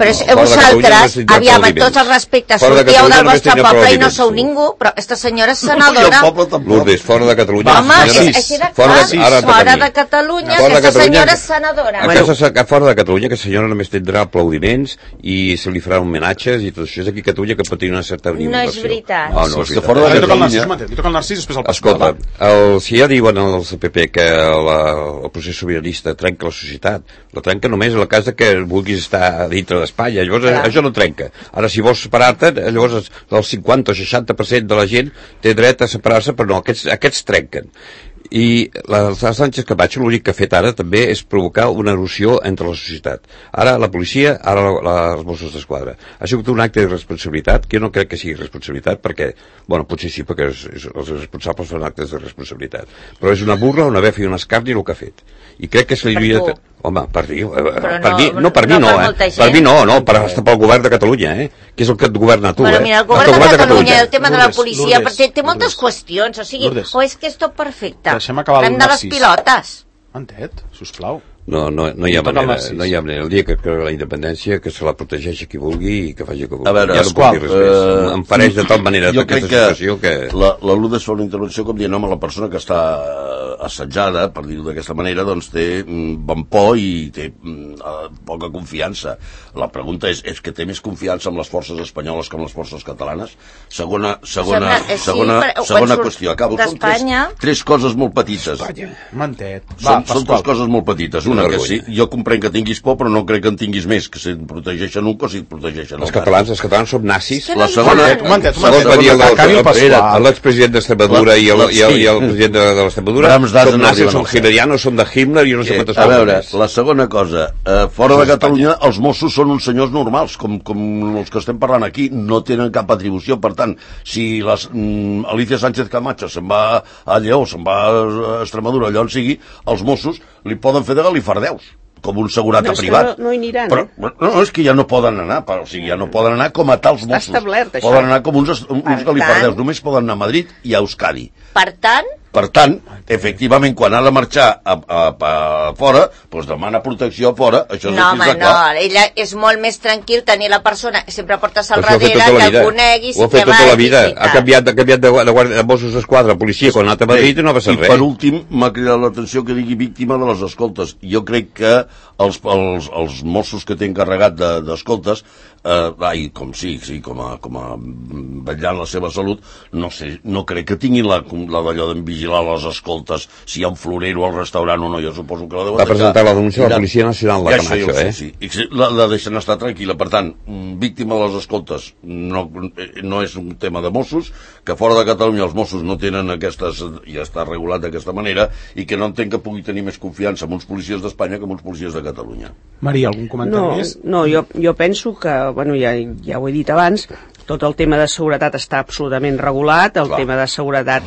[SPEAKER 4] però vosaltres, aviam, en tots els respectes, sortíeu del vostre poble i no sou ningú, però aquesta senyora és senadora.
[SPEAKER 2] Lourdes, fora de Catalunya.
[SPEAKER 4] Home, així de clar, fora de Catalunya, aquesta senyora és senadora.
[SPEAKER 2] Fora de Catalunya, aquesta senyora només tindrà aplaudiments i se li farà homenatges i tot això és aquí a Catalunya que pot tenir una certa
[SPEAKER 4] no és veritat.
[SPEAKER 2] No, no és veritat.
[SPEAKER 1] Fora de Catalunya. Li toca el Narcís, després el Pasqual.
[SPEAKER 2] Escolta, el, si ja diuen els P P que la, el procés sobiranista trenca la societat, la trenca només en el cas que vulguis estar dintre d'Espanya, llavors Clar. això no trenca. Ara, si vols separar-te, llavors el cinquanta o seixanta per cent de la gent té dret a separar-se, però no, aquests, aquests trenquen. I la Sánchez Camacho l'únic que ha fet ara també és provocar una erosió entre la societat. Ara la policia, ara la, la, els Mossos d'Esquadra. Ha sigut un acte de responsabilitat, que jo no crec que sigui responsabilitat, perquè, bueno, potser sí, perquè és, és, els responsables fan actes de responsabilitat. Però és una burla, una befa i un escarni el que ha fet. I crec que se li havia... De... Home, per mi, eh, per no, mi, no per mi no, no per eh? Per mi no, no, per, hasta pel govern de Catalunya, eh? Que és el que et governa tu,
[SPEAKER 4] bueno,
[SPEAKER 2] eh?
[SPEAKER 4] Mira, el govern, el govern de, de Catalunya, el tema Lourdes, de la policia, Lourdes, té, té moltes Lourdes. qüestions, o sigui, Lourdes. o és que és tot perfecte.
[SPEAKER 1] Deixem acabar
[SPEAKER 4] el de les pilotes.
[SPEAKER 1] Entet, sisplau.
[SPEAKER 2] No, no, no hi ha manera, no hi ha manera. El dia que creu la independència, que se la protegeixi qui vulgui i que faci que vulgui.
[SPEAKER 5] A veure,
[SPEAKER 2] ja no puc dir res uh, més. Em fareix de tal manera
[SPEAKER 5] jo
[SPEAKER 2] aquesta
[SPEAKER 5] crec
[SPEAKER 2] situació que...
[SPEAKER 5] La, la Lourdes fa una intervenció com dient, home, la persona que està assetjada, per dir-ho d'aquesta manera, doncs té mm, bon por i té mm, uh, poca confiança. La pregunta és, és que té més confiança amb les forces espanyoles que amb les forces catalanes? Segona, segona,
[SPEAKER 4] Sembla,
[SPEAKER 5] segona,
[SPEAKER 4] sí,
[SPEAKER 5] segona qüestió. Acabo. Són tres, tres coses molt petites.
[SPEAKER 1] Mantet.
[SPEAKER 5] Va, són, són tres coses molt petites. Una, segona, que sí, jo comprenc que tinguis por, però no crec que en tinguis més, que si et protegeixen un que si et protegeixen
[SPEAKER 2] els catalans, els catalans som nazis.
[SPEAKER 5] La segona...
[SPEAKER 2] L'expresident d'Extremadura i el president de l'Extremadura són nazis, són hitlerianos, són de Himmler i no sé quantes coses.
[SPEAKER 5] A veure, la segona cosa, fora de Catalunya els Mossos són uns senyors normals, com els que estem parlant aquí, no tenen cap atribució, per tant, si Alicia Sánchez Camacho se'n va a Lleó, se'n va a Extremadura, allò on sigui, els Mossos li poden fer de galifardeus, com un segurata
[SPEAKER 3] no,
[SPEAKER 5] privat.
[SPEAKER 3] No, no hi aniran,
[SPEAKER 5] però,
[SPEAKER 3] eh?
[SPEAKER 5] No, és que ja no poden anar, però, o sigui, ja no poden anar com a tals Mossos.
[SPEAKER 3] Està establert, això.
[SPEAKER 5] Poden anar com uns, uns galifardeus, només poden anar a Madrid i a Euskadi.
[SPEAKER 4] Per tant...
[SPEAKER 5] Per tant, efectivament, quan ha de marxar a, a, a, a fora, doncs demana protecció a fora, això és
[SPEAKER 4] no,
[SPEAKER 5] el
[SPEAKER 4] home,
[SPEAKER 5] que està clar.
[SPEAKER 4] No, ella és molt més tranquil tenir la persona que sempre portes al darrere, que el coneguis...
[SPEAKER 2] Ho ha fet tota la vida, ha canviat, ha canviat de, de, de Mossos d'Esquadra a policia quan ha anat a Madrid i no va ser res.
[SPEAKER 5] I per últim, m'ha cridat l'atenció que digui víctima de les escoltes. Jo crec que els, els, els Mossos que té encarregat d'escoltes, eh, ai, com sí, sí, com a, com a vetllant la seva salut, no sé, no crec que tinguin la, la d'allò de vigilar les escoltes, si hi ha un florero al restaurant o no, jo suposo que la deuen
[SPEAKER 2] va presentar la denúncia a la Policia Nacional, la ja Camacho, eh?
[SPEAKER 5] Sí, sí. La, la deixen estar tranquil·la, per tant, víctima de les escoltes no, no és un tema de Mossos, que fora de Catalunya els Mossos no tenen aquestes, ja està regulat d'aquesta manera, i que no entenc que pugui tenir més confiança en uns policies d'Espanya que en uns policies de Catalunya.
[SPEAKER 1] Maria, algun comentari
[SPEAKER 3] no,
[SPEAKER 1] més?
[SPEAKER 3] No, jo, jo penso que, bueno, ja, ja ho he dit abans, tot el tema de seguretat està absolutament regulat, el Clar. tema de seguretat,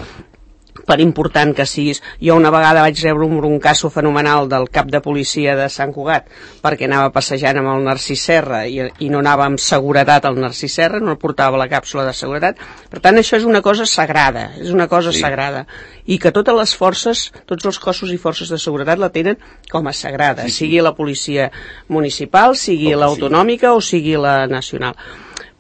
[SPEAKER 3] per important que siguis... Jo una vegada vaig rebre un broncasso fenomenal del cap de policia de Sant Cugat perquè anava passejant amb el Narcís Serra i, i no anava amb seguretat al Narcís Serra, no portava la càpsula de seguretat. Per tant, això és una cosa sagrada, és una cosa sí. sagrada. I que totes les forces, tots els cossos i forces de seguretat la tenen com a sagrada, sí, sí. sigui la policia municipal, sigui oh, l'autonòmica sí. o sigui la nacional.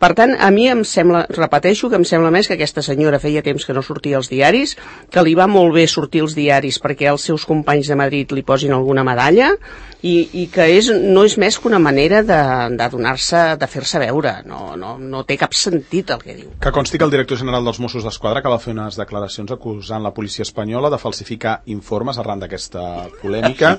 [SPEAKER 3] Per tant, a mi em sembla, repeteixo, que em sembla més que aquesta senyora feia temps que no sortia als diaris, que li va molt bé sortir als diaris perquè els seus companys de Madrid li posin alguna medalla i, i que és, no és més que una manera de, de donar-se, de fer-se veure. No, no, no té cap sentit el que diu.
[SPEAKER 1] Que consti que el director general dels Mossos d'Esquadra acaba de fer unes declaracions acusant la policia espanyola de falsificar informes arran d'aquesta polèmica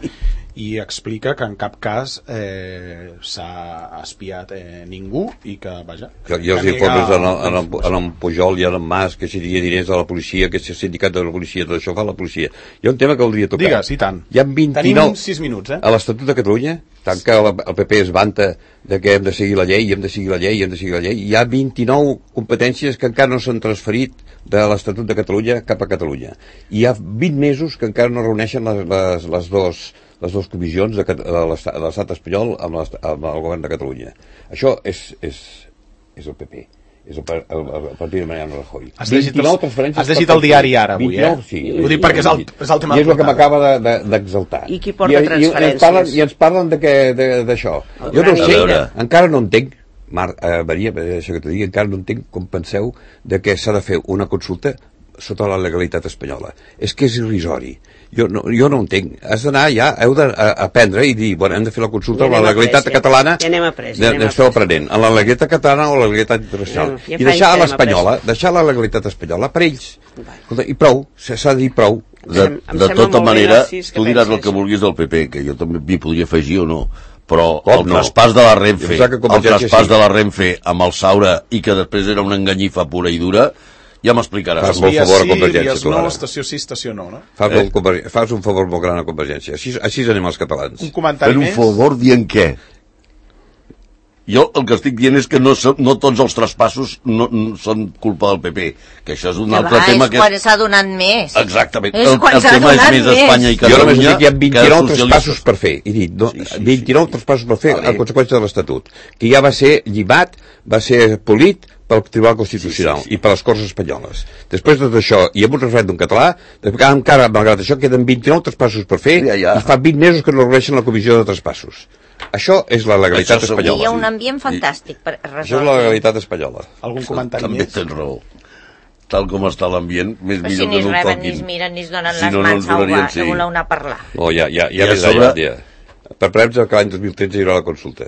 [SPEAKER 1] i explica que en cap cas eh, s'ha espiat eh, ningú i que, vaja...
[SPEAKER 2] Que, I els informes en, en, en, en, en Pujol i en en Mas, que si diria diners de la policia, que si el sindicat de la policia, tot això fa la policia. Hi ha un tema que voldria tocar.
[SPEAKER 1] Digues, i tant.
[SPEAKER 2] Hi ha vint-i-nou...
[SPEAKER 1] Tenim sis minuts, eh?
[SPEAKER 2] A l'Estatut de Catalunya, tant que el P P es vanta de que hem de seguir la llei, hem de seguir la llei, hem de seguir la llei, hi ha vint-i-nou competències que encara no s'han transferit de l'Estatut de Catalunya cap a Catalunya. I hi ha vint mesos que encara no reuneixen les, les, les dos... les dues comissions de, de l'estat espanyol amb, amb el govern de Catalunya. Això és, és, és el P P, és el, el, el partit de Mariano Rajoy.
[SPEAKER 1] Has llegit, has llegit el diari ara avui, eh?
[SPEAKER 2] Sí,
[SPEAKER 1] ho dic perquè és el, és el tema
[SPEAKER 2] i és el que m'acaba d'exaltar.
[SPEAKER 3] I qui porta
[SPEAKER 2] I,
[SPEAKER 3] transferències?
[SPEAKER 2] I ens parlen, i ens parlen d'això. Jo no sé, encara no entenc, Mar, eh, Maria, això que t'ho digui, encara no entenc com penseu de que s'ha de fer una consulta sota la legalitat espanyola. És que és irrisori. Jo no, jo no entenc. Has d'anar ja, heu d'aprendre i dir, bueno, hem de fer la consulta amb la legalitat catalana.
[SPEAKER 3] Ja anem après, ja anem
[SPEAKER 2] esteu aprenent. En la legalitat catalana o la legalitat internacional.
[SPEAKER 3] Ja, ja
[SPEAKER 2] I deixar a l'espanyola, deixar la legalitat espanyola per ells. Escolta, i prou, s'ha de dir prou.
[SPEAKER 5] De, de tota manera, tu diràs el que vulguis del P P, que jo també m'hi podria afegir o no, però Com el no? traspàs de la Renfe, el traspàs sí. de la Renfe amb el Saura i que després era una enganyifa pura i dura, ja m'explicaràs.
[SPEAKER 2] Fas molt favor a Convergència.
[SPEAKER 1] Sí, no, estació sí, estació no, no?
[SPEAKER 2] Fas, eh? molt, fas un favor molt gran a Convergència. Així, així anem els catalans.
[SPEAKER 1] Un comentari
[SPEAKER 5] més? Fer un favor dient què? Jo el que estic dient és que no, no tots els traspassos no, no són culpa del P P, que això és un altre
[SPEAKER 4] va,
[SPEAKER 5] tema
[SPEAKER 4] és que... És quan s'ha donat més.
[SPEAKER 5] Exactament.
[SPEAKER 4] És
[SPEAKER 5] el, el tema és més Espanya i Catalunya.
[SPEAKER 2] Jo només dic que hi ha vint-i-nou traspassos per fer. I dit, no, sí, sí, vint-i-nou sí. traspassos per fer vale. a conseqüència de l'Estatut, que ja va ser llibat, va ser polit pel Tribunal Constitucional sí, sí, sí. i per les Corts Espanyoles. Després de tot això, i amb un referèndum català, encara, malgrat això, queden vint-i-nou traspassos per fer ja, ja. i fa vint mesos que no reuneixen la comissió de traspassos. Això és la legalitat
[SPEAKER 5] això
[SPEAKER 2] espanyola.
[SPEAKER 4] Hi ha un ambient fantàstic per resoldre.
[SPEAKER 2] Això és la legalitat espanyola.
[SPEAKER 1] Algun comentari
[SPEAKER 5] també
[SPEAKER 1] més?
[SPEAKER 5] Tens raó. Tal com està l'ambient, més
[SPEAKER 4] però
[SPEAKER 5] millor
[SPEAKER 4] si
[SPEAKER 5] que no
[SPEAKER 4] el
[SPEAKER 5] toquin.
[SPEAKER 4] Si ni es miren ni es donen
[SPEAKER 5] si
[SPEAKER 4] les
[SPEAKER 5] no,
[SPEAKER 4] mans
[SPEAKER 5] no
[SPEAKER 4] a uva,
[SPEAKER 5] sí.
[SPEAKER 4] que voleu anar a parlar.
[SPEAKER 2] No, ja, ja, ja,
[SPEAKER 5] I
[SPEAKER 2] ja,
[SPEAKER 5] sobre...
[SPEAKER 2] ja, ja. Per premsa que l'any dos mil tretze hi haurà la consulta.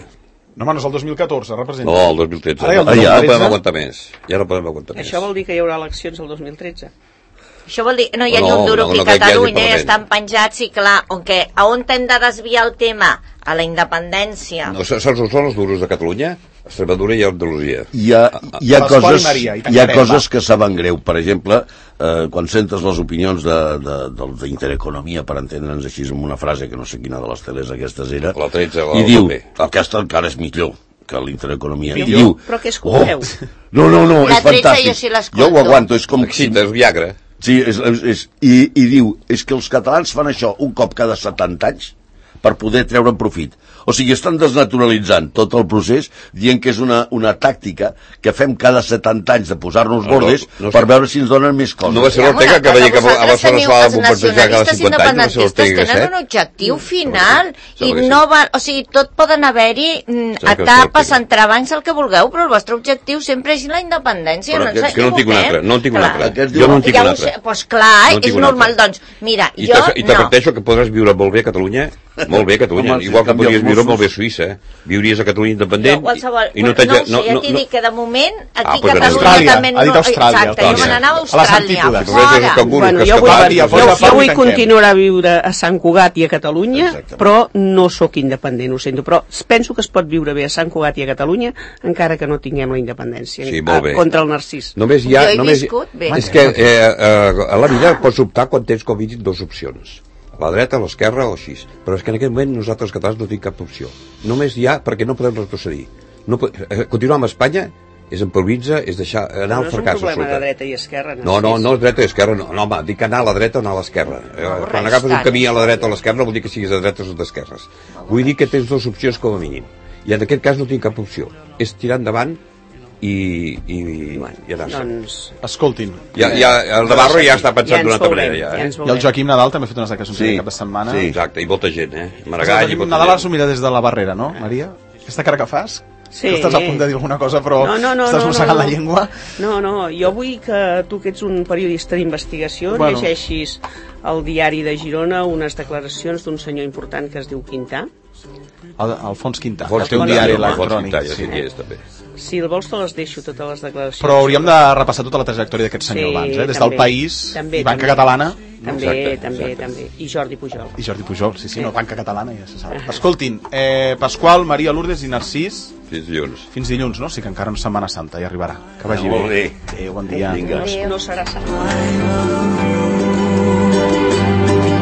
[SPEAKER 1] No, home, no és el dos mil catorze, representa.
[SPEAKER 2] No, el dos mil tretze.
[SPEAKER 1] Ara,
[SPEAKER 2] el dos mil tretze. Ah, ja no podem aguantar més. Ja no podem aguantar
[SPEAKER 3] Això
[SPEAKER 2] més.
[SPEAKER 3] vol dir que hi haurà eleccions el dos mil tretze?
[SPEAKER 4] Això vol dir, no hi ha no, ni un duro no, no, que Catalunya hi estan penjats i clar, on, que, a on hem de desviar el tema? A la independència.
[SPEAKER 2] No, són, són els duros de Catalunya, Extremadura i Andalusia.
[SPEAKER 5] Hi ha, hi ha, coses, hi ha coses que saben greu. Per exemple, eh, quan sentes les opinions de, de, de, d'Intereconomia, per entendre'ns així amb una frase que no sé quina de les teles aquestes era,
[SPEAKER 2] la tretze, la
[SPEAKER 5] i diu, aquesta encara és millor que l'Intereconomia. I
[SPEAKER 3] diu, però què escolteu?
[SPEAKER 5] Oh, no, no, no,
[SPEAKER 4] la
[SPEAKER 5] és fantàstic.
[SPEAKER 4] Jo, sí
[SPEAKER 5] jo ho aguanto, és com...
[SPEAKER 2] Sí, és Viagra.
[SPEAKER 5] Sí, és, és, és, i, i diu, és que els catalans fan això un cop cada setanta anys per poder treure'n profit. O sigui, estan desnaturalitzant tot el procés, dient que és una, una tàctica que fem cada setanta anys de posar-nos bordes no, no, no, per veure si ens donen més coses.
[SPEAKER 2] No va ser l'Ortega que deia que a Barcelona s'ha de bombardejar cada cinquanta anys, no va ser l'Ortega.
[SPEAKER 4] Tenen un objectiu final i no va... O sigui, tot poden haver-hi etapes, entrebancs, el que vulgueu, però el vostre objectiu sempre és la independència.
[SPEAKER 2] Però no, que no en tinc un altre, no en tinc un altre.
[SPEAKER 5] Jo no en tinc un altre.
[SPEAKER 4] Doncs clar, és normal, doncs, mira, jo no.
[SPEAKER 2] I t'adverteixo que podràs viure molt bé a Catalunya, molt bé a Catalunya, igual que podries viure molt bé a Suïssa, eh? Viuries a Catalunya independent
[SPEAKER 4] no, qualsevol,
[SPEAKER 2] i no
[SPEAKER 4] no, no, no, ja t'hi dic que de moment aquí
[SPEAKER 2] ah,
[SPEAKER 4] a Catalunya
[SPEAKER 1] Austràlia,
[SPEAKER 4] també no...
[SPEAKER 1] ha dit Austràlia,
[SPEAKER 4] exacte, jo me n'anava a Austràlia,
[SPEAKER 1] a
[SPEAKER 4] fora.
[SPEAKER 3] Bueno, jo vull, jo, jo vull continuar a viure a Sant Cugat i a Catalunya, exactament. Però no sóc independent, ho sento, però penso que es pot viure bé a Sant Cugat i a Catalunya encara que no tinguem la independència
[SPEAKER 2] sí, a,
[SPEAKER 3] contra el Narcís.
[SPEAKER 2] Només hi ha... Només, és que eh, eh, a la vida pots optar quan tens com dit dues opcions, a la dreta, a l'esquerra o així, però és que en aquest moment nosaltres catalans no tenim cap opció, només hi ha perquè no podem retrocedir, no, eh, continuar amb Espanya és improvisar, és deixar anar al fracàs
[SPEAKER 3] no és un problema de dreta i esquerra,
[SPEAKER 2] no, no, no és dreta i esquerra, no, no home, dic anar a la dreta o anar a l'esquerra, no, quan agafes un camí a la dreta o a l'esquerra no vol dir que siguis de dretes o d'esquerres, vull dir que tens dues opcions com a mínim, i en aquest cas no tinc cap opció, és tirar endavant i, i,
[SPEAKER 3] bueno,
[SPEAKER 2] i anar-se.
[SPEAKER 3] Doncs...
[SPEAKER 1] Escoltin.
[SPEAKER 2] Ja, ja, el Navarro ja està pensant ja d'una altra manera. Ja, eh?
[SPEAKER 1] ja I el Joaquim Nadal també ha fet unes declaracions sí, cap de setmana.
[SPEAKER 2] Sí, exacte, i molta gent, eh? Maragall i molta
[SPEAKER 1] Nadal
[SPEAKER 2] gent.
[SPEAKER 1] s'ho mira des de la barrera, no, Maria? Aquesta cara que fas?
[SPEAKER 3] Sí.
[SPEAKER 1] Que estàs a punt de dir alguna cosa, però
[SPEAKER 3] no, no, no,
[SPEAKER 1] estàs mossegant
[SPEAKER 3] no, no,
[SPEAKER 1] la llengua.
[SPEAKER 3] No, no, jo vull que tu, que ets un periodista d'investigació, bueno. llegeixis al diari de Girona unes declaracions d'un senyor important que es diu Quintà.
[SPEAKER 1] El, Alfons Quintà,
[SPEAKER 2] Alfons
[SPEAKER 1] que té un diari electrònic.
[SPEAKER 2] Quintà, ja sí. Sí, és, també.
[SPEAKER 3] Si el vols te les deixo, totes les declaracions.
[SPEAKER 1] Però hauríem de repassar tota la trajectòria d'aquest senyor sí, abans, eh? Des també, del País
[SPEAKER 3] també,
[SPEAKER 1] i Banca
[SPEAKER 3] també,
[SPEAKER 1] Catalana.
[SPEAKER 3] També,
[SPEAKER 2] exacte,
[SPEAKER 3] també,
[SPEAKER 2] exacte.
[SPEAKER 3] també. I Jordi Pujol.
[SPEAKER 1] I Jordi Pujol, sí, sí, sí. No, Banca Catalana ja se sap. Uh-huh. Escoltin, eh, Pasqual, Maria Lourdes i Narcís...
[SPEAKER 2] Fins dilluns.
[SPEAKER 1] Fins dilluns, no? Sí que encara no és Setmana Santa, ja arribarà. Que vagi
[SPEAKER 2] no,
[SPEAKER 1] bé. Adéu, bon dia.
[SPEAKER 3] No, no serà Setmana.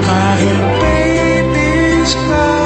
[SPEAKER 6] My baby's crying.